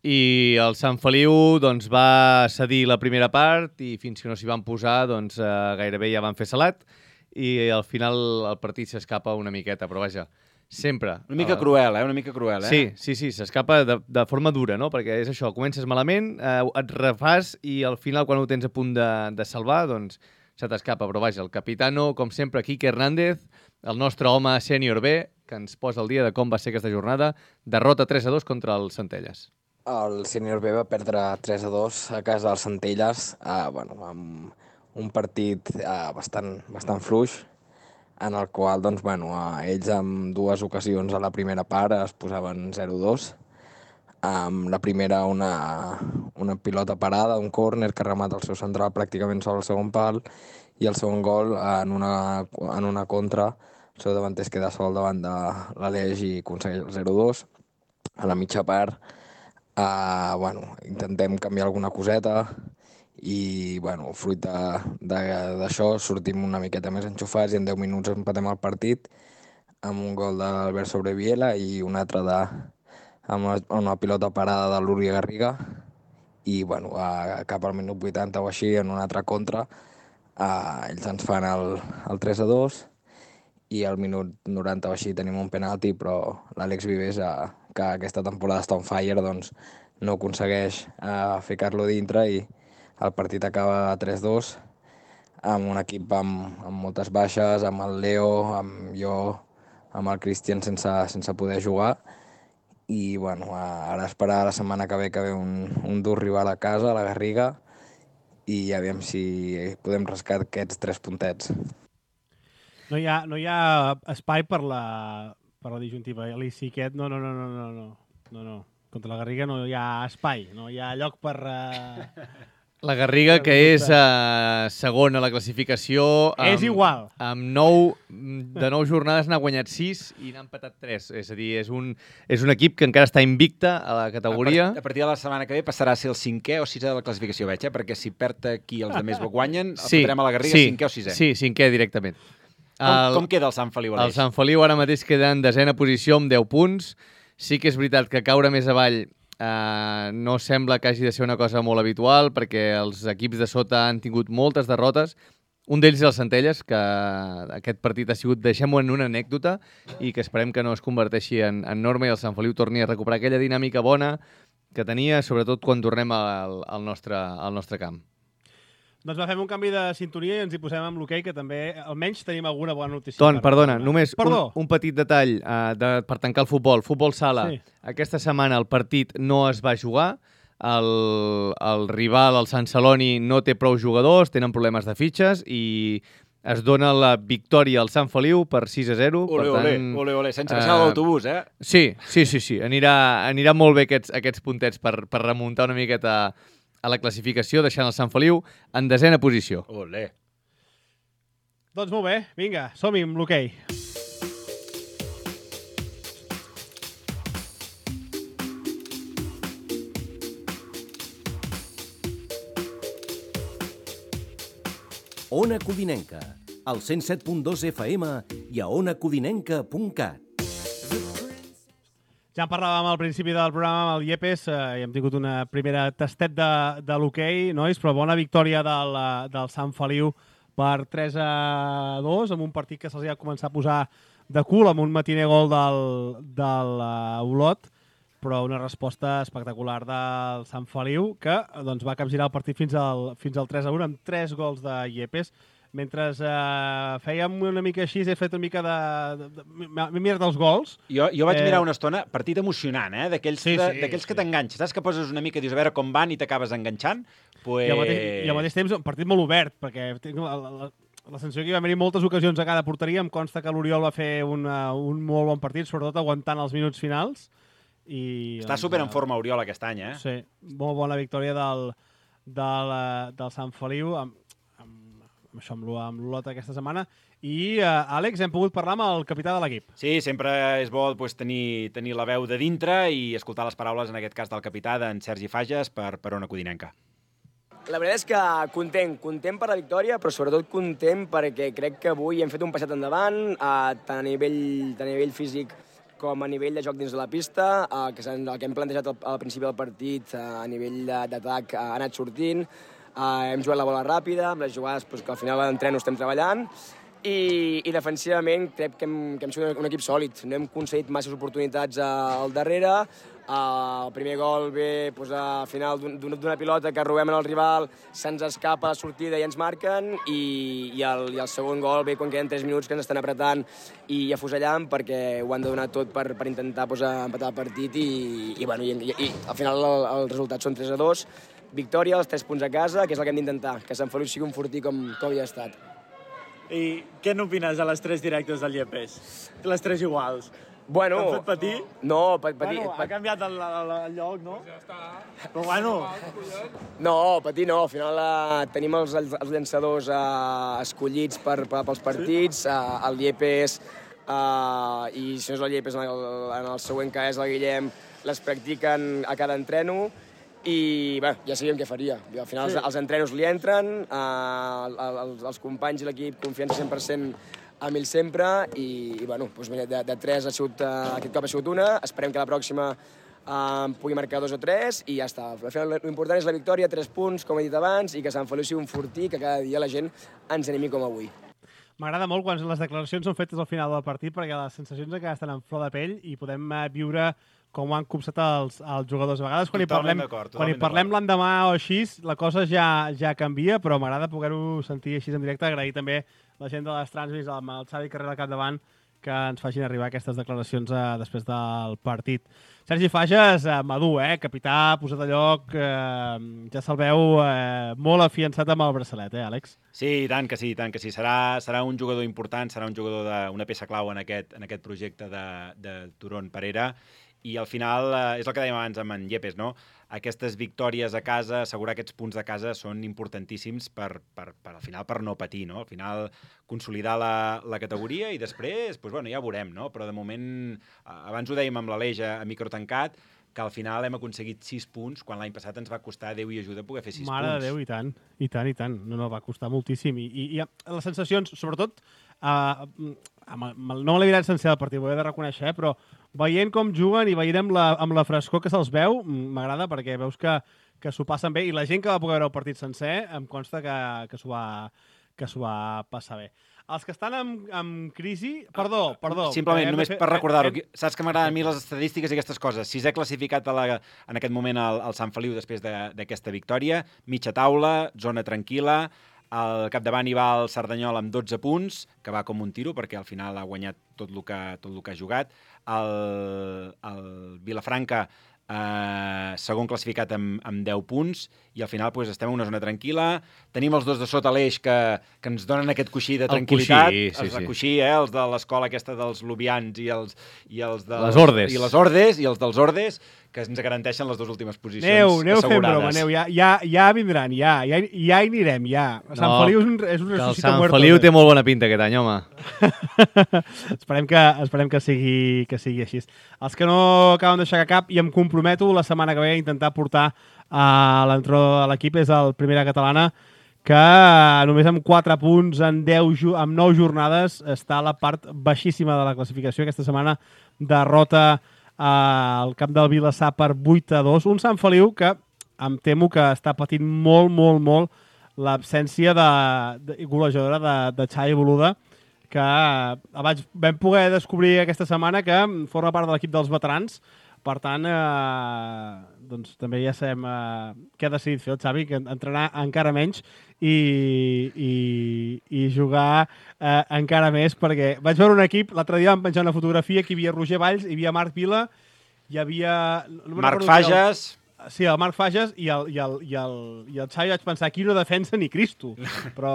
I el Sant Feliu doncs, va cedir la primera part i fins que no s'hi van posar doncs, eh, gairebé ja van fer salat i al final el partit s'escapa una miqueta, però vaja, sempre... Una mica eh, cruel, eh? Una mica cruel, eh? Sí, sí, sí, s'escapa de, de forma dura, no? Perquè és això, comences malament, eh, et refàs i al final quan ho tens a punt de, de salvar, doncs se t'escapa. Però vaja, el capitano, com sempre, Quique Hernández, el nostre home sènior B, que ens posa el dia de com va ser aquesta jornada, derrota tres a dos contra el Centelles. El sènior B va perdre tres a dos a casa dels Centelles, eh, bueno, amb un partit eh, bastant, bastant fluix, en el qual doncs, bueno, eh, ells en dues ocasions a la primera part es posaven zero a dos. Amb la primera una, una pilota parada, un córner que remata el seu central pràcticament sobre el segon pal, i el segon gol en una, en una contra, el seu davanter es queda sol davant de l'Aleix i aconsegueix el zero a dos. A la mitja part, Uh, bueno, intentem canviar alguna coseta i, bueno, fruit d'això sortim una miqueta més enxufats i en deu minuts empatem el partit amb un gol d'Albert Sobreviela i un altre de, amb una, una pilota parada de l'Uri Garriga i, bueno, uh, cap al minut vuitanta o així, en una altra contra, uh, ells ens fan el, el tres a dos i al minut noranta o així tenim un penalti, però l'Àlex Vives, uh, que aquesta temporada està on fire, doncs no aconsegueix uh, ficar-lo dintre i el partit acaba tres a dos amb un equip amb, amb moltes baixes, amb el Leo, amb jo, amb el Cristian sense, sense poder jugar i bueno, uh, ara esperar la setmana que ve que ve un, un dur rival a casa, a la Garriga, i aviam si podem rascar aquests tres puntets. No hi ha, no hi ha espai per la... per la disjuntiva. L'Isiquet, no, no, no, no, no, no, no, no. Contra la Garriga no hi ha espai, no hi ha lloc per, uh, La Garriga, que és uh, segon a la classificació... Amb, és igual. Amb nou, de nou jornades n'ha guanyat sis i n'ha empatat tres. És a dir, és un, és un equip que encara està invicte a la categoria. A, a partir de la setmana que ve passarà a ser el cinquè o sisè de la classificació, veig, eh? Perquè si perd aquí els altres guanyen, el sí, fotrem a la Garriga sí, cinquè o sisè. Sí, cinquè directament. Com, el, com queda el Sant Feliu, Aleix? El Sant Feliu ara mateix queda en desena posició amb deu punts. Sí que és veritat que caure més avall Uh, no sembla que hagi de ser una cosa molt habitual perquè els equips de sota han tingut moltes derrotes. Un d'ells és el Centelles, que aquest partit ha sigut, deixem-ho en una anècdota, i que esperem que no es converteixi en, en norma i el Sant Feliu torni a recuperar aquella dinàmica bona que tenia, sobretot quan tornem al, al, nostre, al nostre camp. Doncs va, fem un canvi de sintonia i ens hi posem amb l'hoquei, que també almenys tenim alguna bona notícia. Ton, perdona, només Perdó. un, un petit detall uh, de, per tancar el futbol. Futbol sala. Sí. Aquesta setmana el partit no es va jugar. El, el rival, el Sant Celoni, no té prou jugadors, tenen problemes de fitxes i es dona la victòria al Sant Feliu per sis a zero. Ole, per tant, ole, ole, ole, sense baixar uh, l'autobús, eh? Sí, sí, sí, sí. Anirà, anirà molt bé aquests, aquests puntets per, per remuntar una miqueta a la classificació, deixant el Sant Feliu en desena posició. Olé. Doncs molt bé, vinga, som-hi amb l'hoquei. Ona Codinenca, al cent set punt dos F M i a ona codinenca punt cat. Ja en parlàvem al principi del programa amb el Iepes eh, i hem tingut una primera tastet de, de l'hoquei, nois, però bona victòria del, del Sant Feliu per tres a dos, amb un partit que se'ls ha començat a posar de cul, amb un matiner gol del, del uh, Olot, però una resposta espectacular del Sant Feliu, que doncs, va capgirar el partit fins al, fins al tres a un, amb tres gols de Iepes. Mentre eh, fèiem una mica així, he fet una mica de... de, de M'he mirat els gols. Jo, jo vaig eh... mirar una estona, partit emocionant, eh? D'aquells sí, sí, sí, sí. que t'enganxes. Saps que poses una mica i dius a veure com van i t'acabes enganxant? Pues... I, al mateix, I al mateix temps un partit molt obert, perquè tinc la, la, la sensació que hi va haver moltes ocasions a cada porteria. Em consta que l'Oriol va fer una, un molt bon partit, sobretot aguantant els minuts finals. I, Està doncs, super en forma Oriol aquest any, eh? Sí, molt bona victòria del, del, del Sant Feliu, amb, amb això amb l'Olot aquesta setmana. I, uh, Àlex, hem pogut parlar amb el capità de l'equip. Sí, sempre és bo pues, tenir, tenir la veu de dintre i escoltar les paraules, en aquest cas del capità, d'en Sergi Fages, per, per Ona Codinenca. La veritat és que content, content per la victòria, però sobretot content perquè crec que avui hem fet un passet endavant, eh, tant, a nivell, tant a nivell físic com a nivell de joc dins de la pista, eh, que el que hem plantejat al, al principi del partit eh, a nivell d'atac eh, ha anat sortint. Uh, hem jugat la bola ràpida, amb les jugades pues, que al final de l'entreno estem treballant, i, i defensivament crec que hem, que hem sigut un equip sòlid. No hem concedit masses oportunitats uh, al darrere. Uh, el primer gol ve pues, a final d'una pilota que robem en el rival, se'ns escapa la sortida i ens marquen, i, i, el, i el segon gol ve quan queden tres minuts que ens estan apretant i afusellant, perquè ho han de donar tot per, per intentar pues, empatar el partit, i, i, bueno, i, i, i al final el, el resultat són tres a dos. Victòria, els tres punts a casa, que és el que hem d'intentar, que Sant Feliu sigui un fortí com, com havia estat. I què n'opines de les tres directes del Iepes? Les tres iguals. Bueno... T'han fet patir? No, patir... Bueno, ha canviat el, el, el lloc, no? Ja està. Però bueno... No, patir no. Al final eh, tenim els, els, els llançadors eh, escollits per, per, pels partits, sí? eh, el Iepes, eh, i si no és el Iepes, en el, en el següent que és el Guillem, les practiquen a cada entreno, i bé, ja sabíem què faria. Al final sí. els, els entrenos li entren, eh, els, els companys i l'equip confiança cent per cent amb ell sempre, i, i bueno, doncs, de, de tres ha sigut, uh, aquest cop ha sigut una, esperem que la pròxima uh, pugui marcar dos o tres, i ja està. Al final l'important és la victòria, tres punts, com he dit abans, i que Sant Feliu sigui un fortí, que cada dia la gent ens animi com avui. M'agrada molt quan les declaracions són fetes al final del partit, perquè les sensacions encara estan en flor de pell i podem uh, viure com ho han copsat els, els jugadors. A vegades, quan totalment hi parlem, quan hi parlem l'endemà o així, la cosa ja, ja canvia, però m'agrada poder-ho sentir així en directe. Agrair també la gent de les Transmis, amb el Xavi Carrera al capdavant, que ens facin arribar aquestes declaracions eh, després del partit. Sergi Fages, eh, madur, eh? Capità, posat a lloc, eh, ja se'l veu eh, molt afiançat amb el braçalet, eh, Àlex? Sí, i tant que sí, i tant que sí. Serà, serà un jugador important, serà un jugador d'una peça clau en aquest, en aquest projecte de, de Turón Perera. I al final, eh, és el que dèiem abans amb en Iepes, no? aquestes victòries a casa, assegurar aquests punts de casa són importantíssims per, per, per al final per no patir, no? Al final consolidar la, la categoria i després, doncs, bueno, ja ho veurem, no? Però de moment, abans ho dèiem amb l'Aleix a, a micro tancat, que al final hem aconseguit sis punts, quan l'any passat ens va costar Déu i ajuda poder fer sis Mare punts. de Déu, i tant, i tant, i tant. No, no, va costar moltíssim. I, i, i les sensacions, sobretot, uh, amb, amb, no me l'he mirat sencer del partit, ho he de reconèixer, eh, però veient com juguen i veient amb la, amb la frescor que se'ls veu, m'agrada perquè veus que, que s'ho passen bé, i la gent que va poder veure el partit sencer em consta que, que s'ho va, que s'ho va passar bé. Els que estan en, en crisi... Perdó, perdó. Simplement, només fer, per recordar-ho. hem... Saps que m'agraden a mi les estadístiques i aquestes coses. Sisè classificat a la, en aquest moment el, el Sant Feliu després d'aquesta de, victòria. Mitja taula, zona tranquil·la. Al capdavant hi va el Cerdanyola amb dotze punts, que va com un tiro, perquè al final ha guanyat tot el que, tot el que ha jugat. El, el Vilafranca, eh, segon classificat amb, amb deu punts, i al final pues, estem en una zona tranquil·la. Tenim els dos de sota l'eix que, que ens donen aquest coixí de tranquil·litat. El coixí, sí, els sí. coixí, eh? Els de l'escola aquesta dels Lubians i els, i els dels... Les Ordes. I les Ordes, i els dels Ordes, que ens garanteixen les dues últimes posicions Aneu, aneu fent assegurades. broma, aneu, ja, ja, ja vindran, ja, ja, ja hi anirem, ja. Sant No, Feliu és un, és un que el resucita Sant muerto. Feliu té molt bona pinta aquest any, home. esperem que, esperem que, sigui, que sigui així. Els que no acaben d'aixecar cap, i em comprometo la setmana que ve a intentar portar a l'entró de l'equip, és el Primera Catalana, que només amb quatre punts en deu, amb nou jornades està a la part baixíssima de la classificació. Aquesta setmana derrota al camp del Vilassar per vuit a dos. Un Sant Feliu que em temo que està patint molt, molt, molt l'absència de, de golejadora de, de Xavi Boluda, que abans vam poder descobrir aquesta setmana que forma part de l'equip dels veterans. Per tant, eh, doncs també ja sabem eh, què ha decidit fer el Xavi, que entrenar encara menys i, i, i jugar eh, encara més, perquè vaig veure un equip, l'altre dia vam penjar una fotografia, que hi havia Roger Valls, hi havia Marc Vila, hi havia... No Marc Fages... Sí, el Marc Fages i el, i el, i el, i el Xavi vaig pensar, aquí no defensa ni Cristo. Però,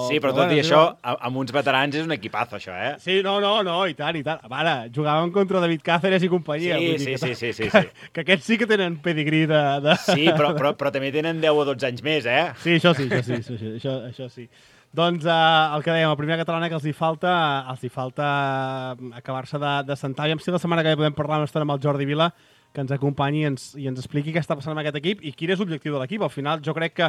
sí, però, però tot bueno, i això, amb uns veterans és un equipazo, això, eh? Sí, no, no, no, i tant, i tant. Ara, jugàvem contra David Cáceres i companyia. Sí, vull sí, dir sí, que, sí, sí, que, sí. Que aquests sí que tenen pedigrí de... de... Sí, però, però, però també tenen deu o dotze anys més, eh? Sí, això sí, això sí, això, sí, això, això sí. Doncs eh, el que dèiem, el primer catalana que els hi falta, els hi falta acabar-se de, de sentar. I si la setmana que ve podem parlar una estona amb el Jordi Vila, que ens acompanyi i ens, i ens expliqui què està passant amb aquest equip i quin és l'objectiu de l'equip. Al final, jo crec que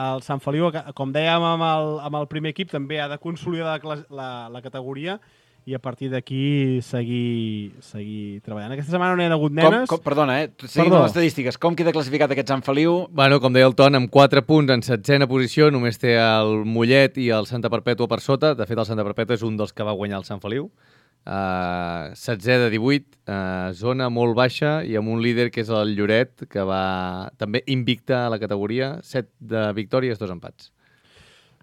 el Sant Feliu, com dèiem amb el, amb el primer equip, també ha de consolidar la, la, la categoria i a partir d'aquí seguir, seguir treballant. Aquesta setmana no hi ha hagut nenes. Com, com, perdona, eh? Seguint les estadístiques, com queda classificat aquest Sant Feliu? Bueno, com deia el Ton, amb quatre punts en setzena posició, només té el Mollet i el Santa Perpètua per sota. De fet, el Santa Perpètua és un dels que va guanyar el Sant Feliu. Uh, setzè de divuit, uh, zona molt baixa, i amb un líder que és el Lloret, que va també invicta a la categoria, set de victòries, dos empats.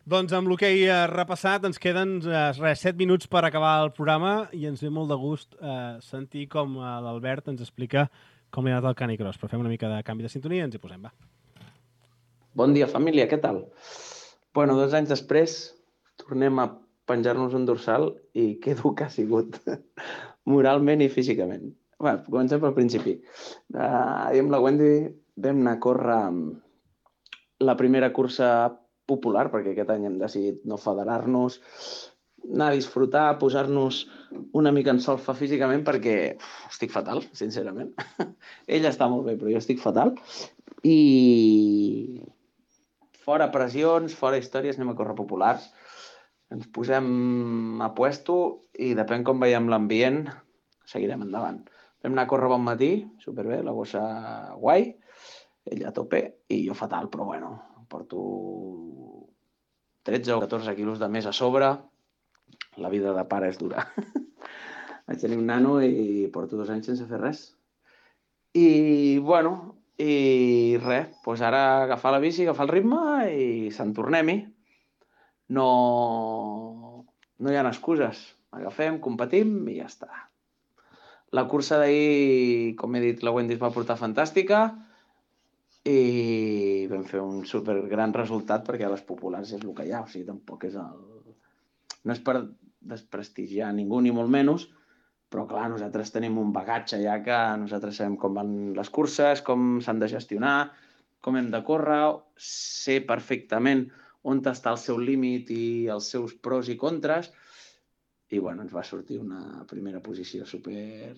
Doncs amb el que he repassat ens queden eh, res, set minuts per acabar el programa i ens ve molt de gust eh, sentir com eh, l'Albert ens explica com li ha anat el Canicross. Però fem una mica de canvi de sintonia i ens hi posem, va. Bon dia, família, què tal? Bueno, dos anys després tornem a penjar-nos un dorsal i que dur que ha sigut moralment i físicament. Bé, comencem pel principi. Uh, I amb la Wendy vam anar a córrer la primera cursa popular, perquè aquest any hem decidit no federar-nos, anar a disfrutar, posar-nos una mica en solfa físicament, perquè uf, estic fatal, sincerament. Ella està molt bé, però jo estic fatal. I fora pressions, fora històries, anem a córrer populars. Ens posem a puesto i depèn com veiem l'ambient, seguirem endavant. Vam anar a córrer bon matí, superbé, la bossa guai, ella a tope i jo fatal, però bueno, porto tretze o catorze quilos de més a sobre, la vida de pare és dura. Vaig tenir un nano i porto dos anys sense fer res. I, bueno, i res, doncs ara agafar la bici, agafar el ritme i se'n tornem-hi. No, no hi ha excuses. Agafem, competim i ja està. La cursa d'ahir, com he dit, la Wendy es va portar fantàstica i vam fer un supergran resultat perquè a les populars és el que hi ha. O sigui, tampoc és el... No és per desprestigiar ningú ni molt menys, Però, clar, nosaltres tenim un bagatge ja que nosaltres sabem com van les curses, com s'han de gestionar, com hem de córrer, sé perfectament on està el seu límit i els seus pros i contres. I, bueno, ens va sortir una primera posició super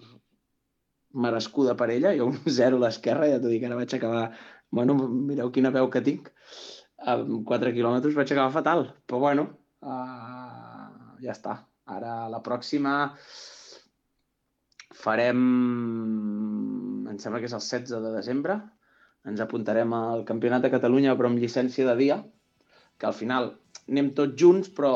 merescuda per ella. Jo un zero a l'esquerra, ja t'ho dic, ara vaig acabar... Bueno, mireu quina veu que tinc. Amb quatre quilòmetres vaig acabar fatal. Però, bueno, uh, ja està. Ara, la pròxima... Farem, em sembla que és el setze de desembre, ens apuntarem al Campionat de Catalunya però amb llicència de dia, que al final anem tots junts però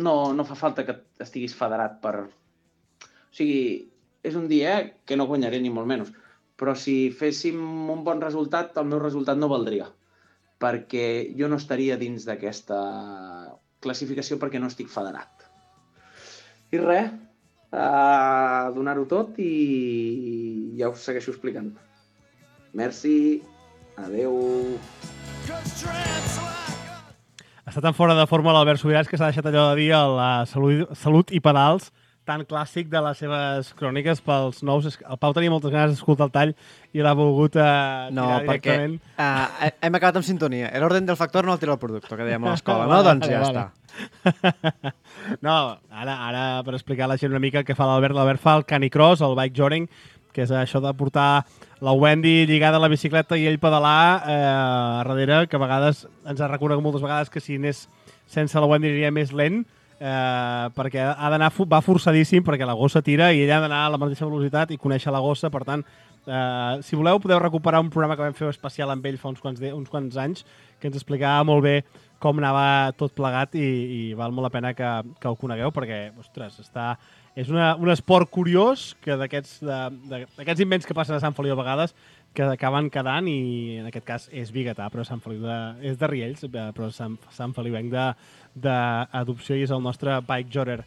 no, no fa falta que estiguis federat per... O sigui, és un dia que no guanyaré ni molt menys, però si féssim un bon resultat, el meu resultat no valdria, perquè jo no estaria dins d'aquesta classificació perquè no estic federat. I res, a donar-ho tot i ja us segueixo explicant. Merci, adeu. Està tan fora de forma l'Albert Subirats que s'ha deixat allò de dir la salut, salut i pedals tan clàssic de les seves cròniques pels nous. El Pau tenia moltes ganes d'escoltar el tall i l'ha volgut uh, no, tirar directament. No, perquè uh, hem acabat amb sintonia. L'ordre del factor no el tira el producte, que dèiem a l'escola, no? Doncs ja està. No, ara, ara per explicar a la gent una mica què fa l'Albert. L'Albert fa el canicross, el bike jogging, que és això de portar la Wendy lligada a la bicicleta i ell pedalar eh, a darrere, que a vegades ens ha reconegut moltes vegades que si anés sense la Wendy aniria més lent, eh, perquè ha d'anar, va forçadíssim perquè la gossa tira i ell ha d'anar a la mateixa velocitat i conèixer la gossa. Per tant, eh, si voleu podeu recuperar un programa que vam fer especial amb ell fa uns quants, de, uns quants anys, que ens explicava molt bé com anava tot plegat i, i val molt la pena que, que el conegueu perquè, ostres, està... És una, un esport curiós que d'aquests d'aquests invents que passen a Sant Feliu a vegades que acaben quedant i en aquest cas és biguetà, però Sant Feliu de, és de Riells, però Sant, Sant Feliuenc d'adopció i és el nostre bike jogger.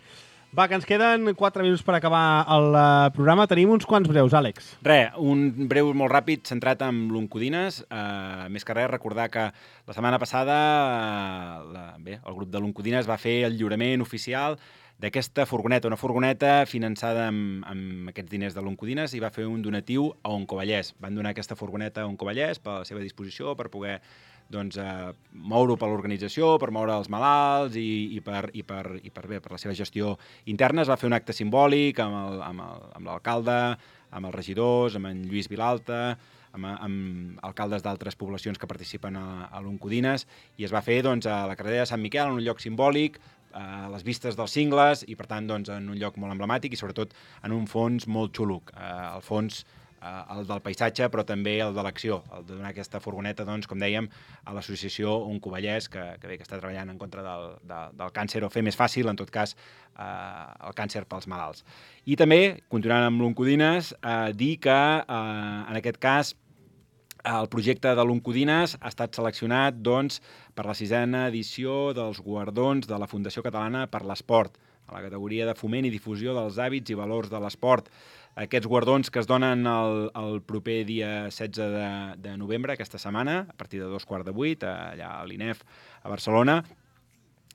Va, que ens queden quatre minuts per acabar el programa. Tenim uns quants breus, Àlex. Re, un breu molt ràpid centrat en l'Oncodines. Uh, més que res, recordar que la setmana passada uh, la, bé, el grup de l'Oncodines va fer el lliurament oficial d'aquesta furgoneta, una furgoneta finançada amb, amb aquests diners de l'Oncodines i va fer un donatiu a Oncovallès. Van donar aquesta furgoneta a Oncovallès per a la seva disposició, per poder doncs, eh, moure-ho per l'organització, per moure els malalts i, i, per, i, per, i per, bé, per la seva gestió interna. Es va fer un acte simbòlic amb l'alcalde, amb, amb els regidors, amb en Lluís Vilalta, amb, amb alcaldes d'altres poblacions que participen a, a l'Oncodines, i es va fer doncs, a la carretera de Sant Miquel, en un lloc simbòlic, a les vistes dels cingles i, per tant, doncs, en un lloc molt emblemàtic i, sobretot, en un fons molt xulo. Eh, el fons, eh, el del paisatge, però també el de l'acció, el de donar aquesta furgoneta, doncs, com dèiem, a l'associació Oncovallès, que, que, bé, que està treballant en contra del, de, del càncer, o fer més fàcil, en tot cas, eh, el càncer pels malalts. I també, continuant amb l'Oncodines, eh, dir que, eh, en aquest cas, el projecte de l'Oncodines ha estat seleccionat doncs, per la sisena edició dels guardons de la Fundació Catalana per l'Esport, a la categoria de foment i difusió dels hàbits i valors de l'esport. Aquests guardons que es donen el, el proper dia setze de, de novembre, aquesta setmana, a partir de dos quarts de vuit, allà a l'I N E F, a Barcelona,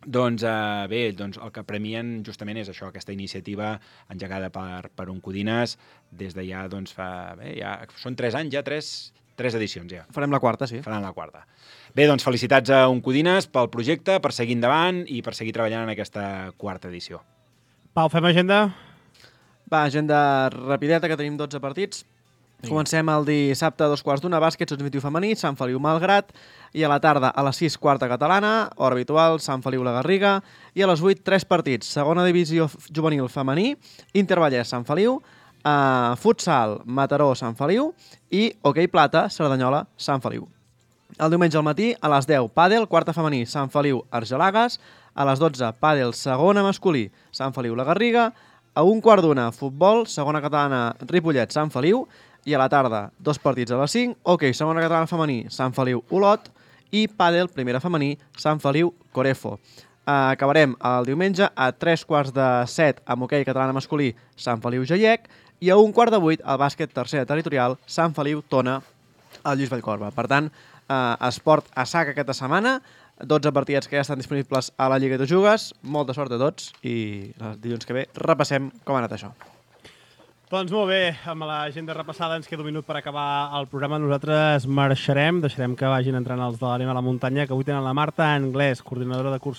doncs eh, bé, doncs el que premien justament és això, aquesta iniciativa engegada per, per Oncodines des de ja, doncs, fa... Bé, ja, són tres anys, ja tres... Tres edicions, ja. Farem la quarta, sí. Faran la quarta. Bé, doncs felicitats a Oncodines pel projecte, per seguir endavant i per seguir treballant en aquesta quarta edició. Pau, fem agenda? Va, agenda rapideta, que tenim dotze partits. Sí. Comencem el dissabte a dos quarts d'una, bàsquet, sotmitiu femení, Sant Feliu Malgrat, i a la tarda a les sis, quarta catalana, hora habitual, Sant Feliu La Garriga, i a les vuit, tres partits, segona divisió juvenil femení, Intervallès Sant Feliu, Uh, futsal, Mataró, Sant Feliu i hoquei plata, Cerdanyola, Sant Feliu. El diumenge al matí, a les deu, pàdel, quarta femení, Sant Feliu, Argelagues, a les dotze, pàdel, segona masculí, Sant Feliu, La Garriga, a un quart d'una, futbol, segona catalana, Ripollet, Sant Feliu, i a la tarda, dos partits a les cinc, hoquei, segona catalana femení, Sant Feliu, Olot, i pàdel, primera femení, Sant Feliu, Corefo. Uh, acabarem el diumenge a tres quarts de set amb hoquei catalana masculí, Sant Feliu, Jaiec, i a un quart de vuit, el bàsquet tercera territorial, Sant Feliu, Tona, al Lluís Vallcorba. Per tant, eh, esport a sac aquesta setmana, dotze partits que ja estan disponibles a la Lliga de Jugues. Molta sort a tots i el dilluns que ve repassem com ha anat això. Doncs molt bé, amb l'agenda repassada ens queda un minut per acabar el programa. Nosaltres marxarem, deixarem que vagin entrant els de l'Anem a la Muntanya, que avui tenen la Marta Anglès, coordinadora de curses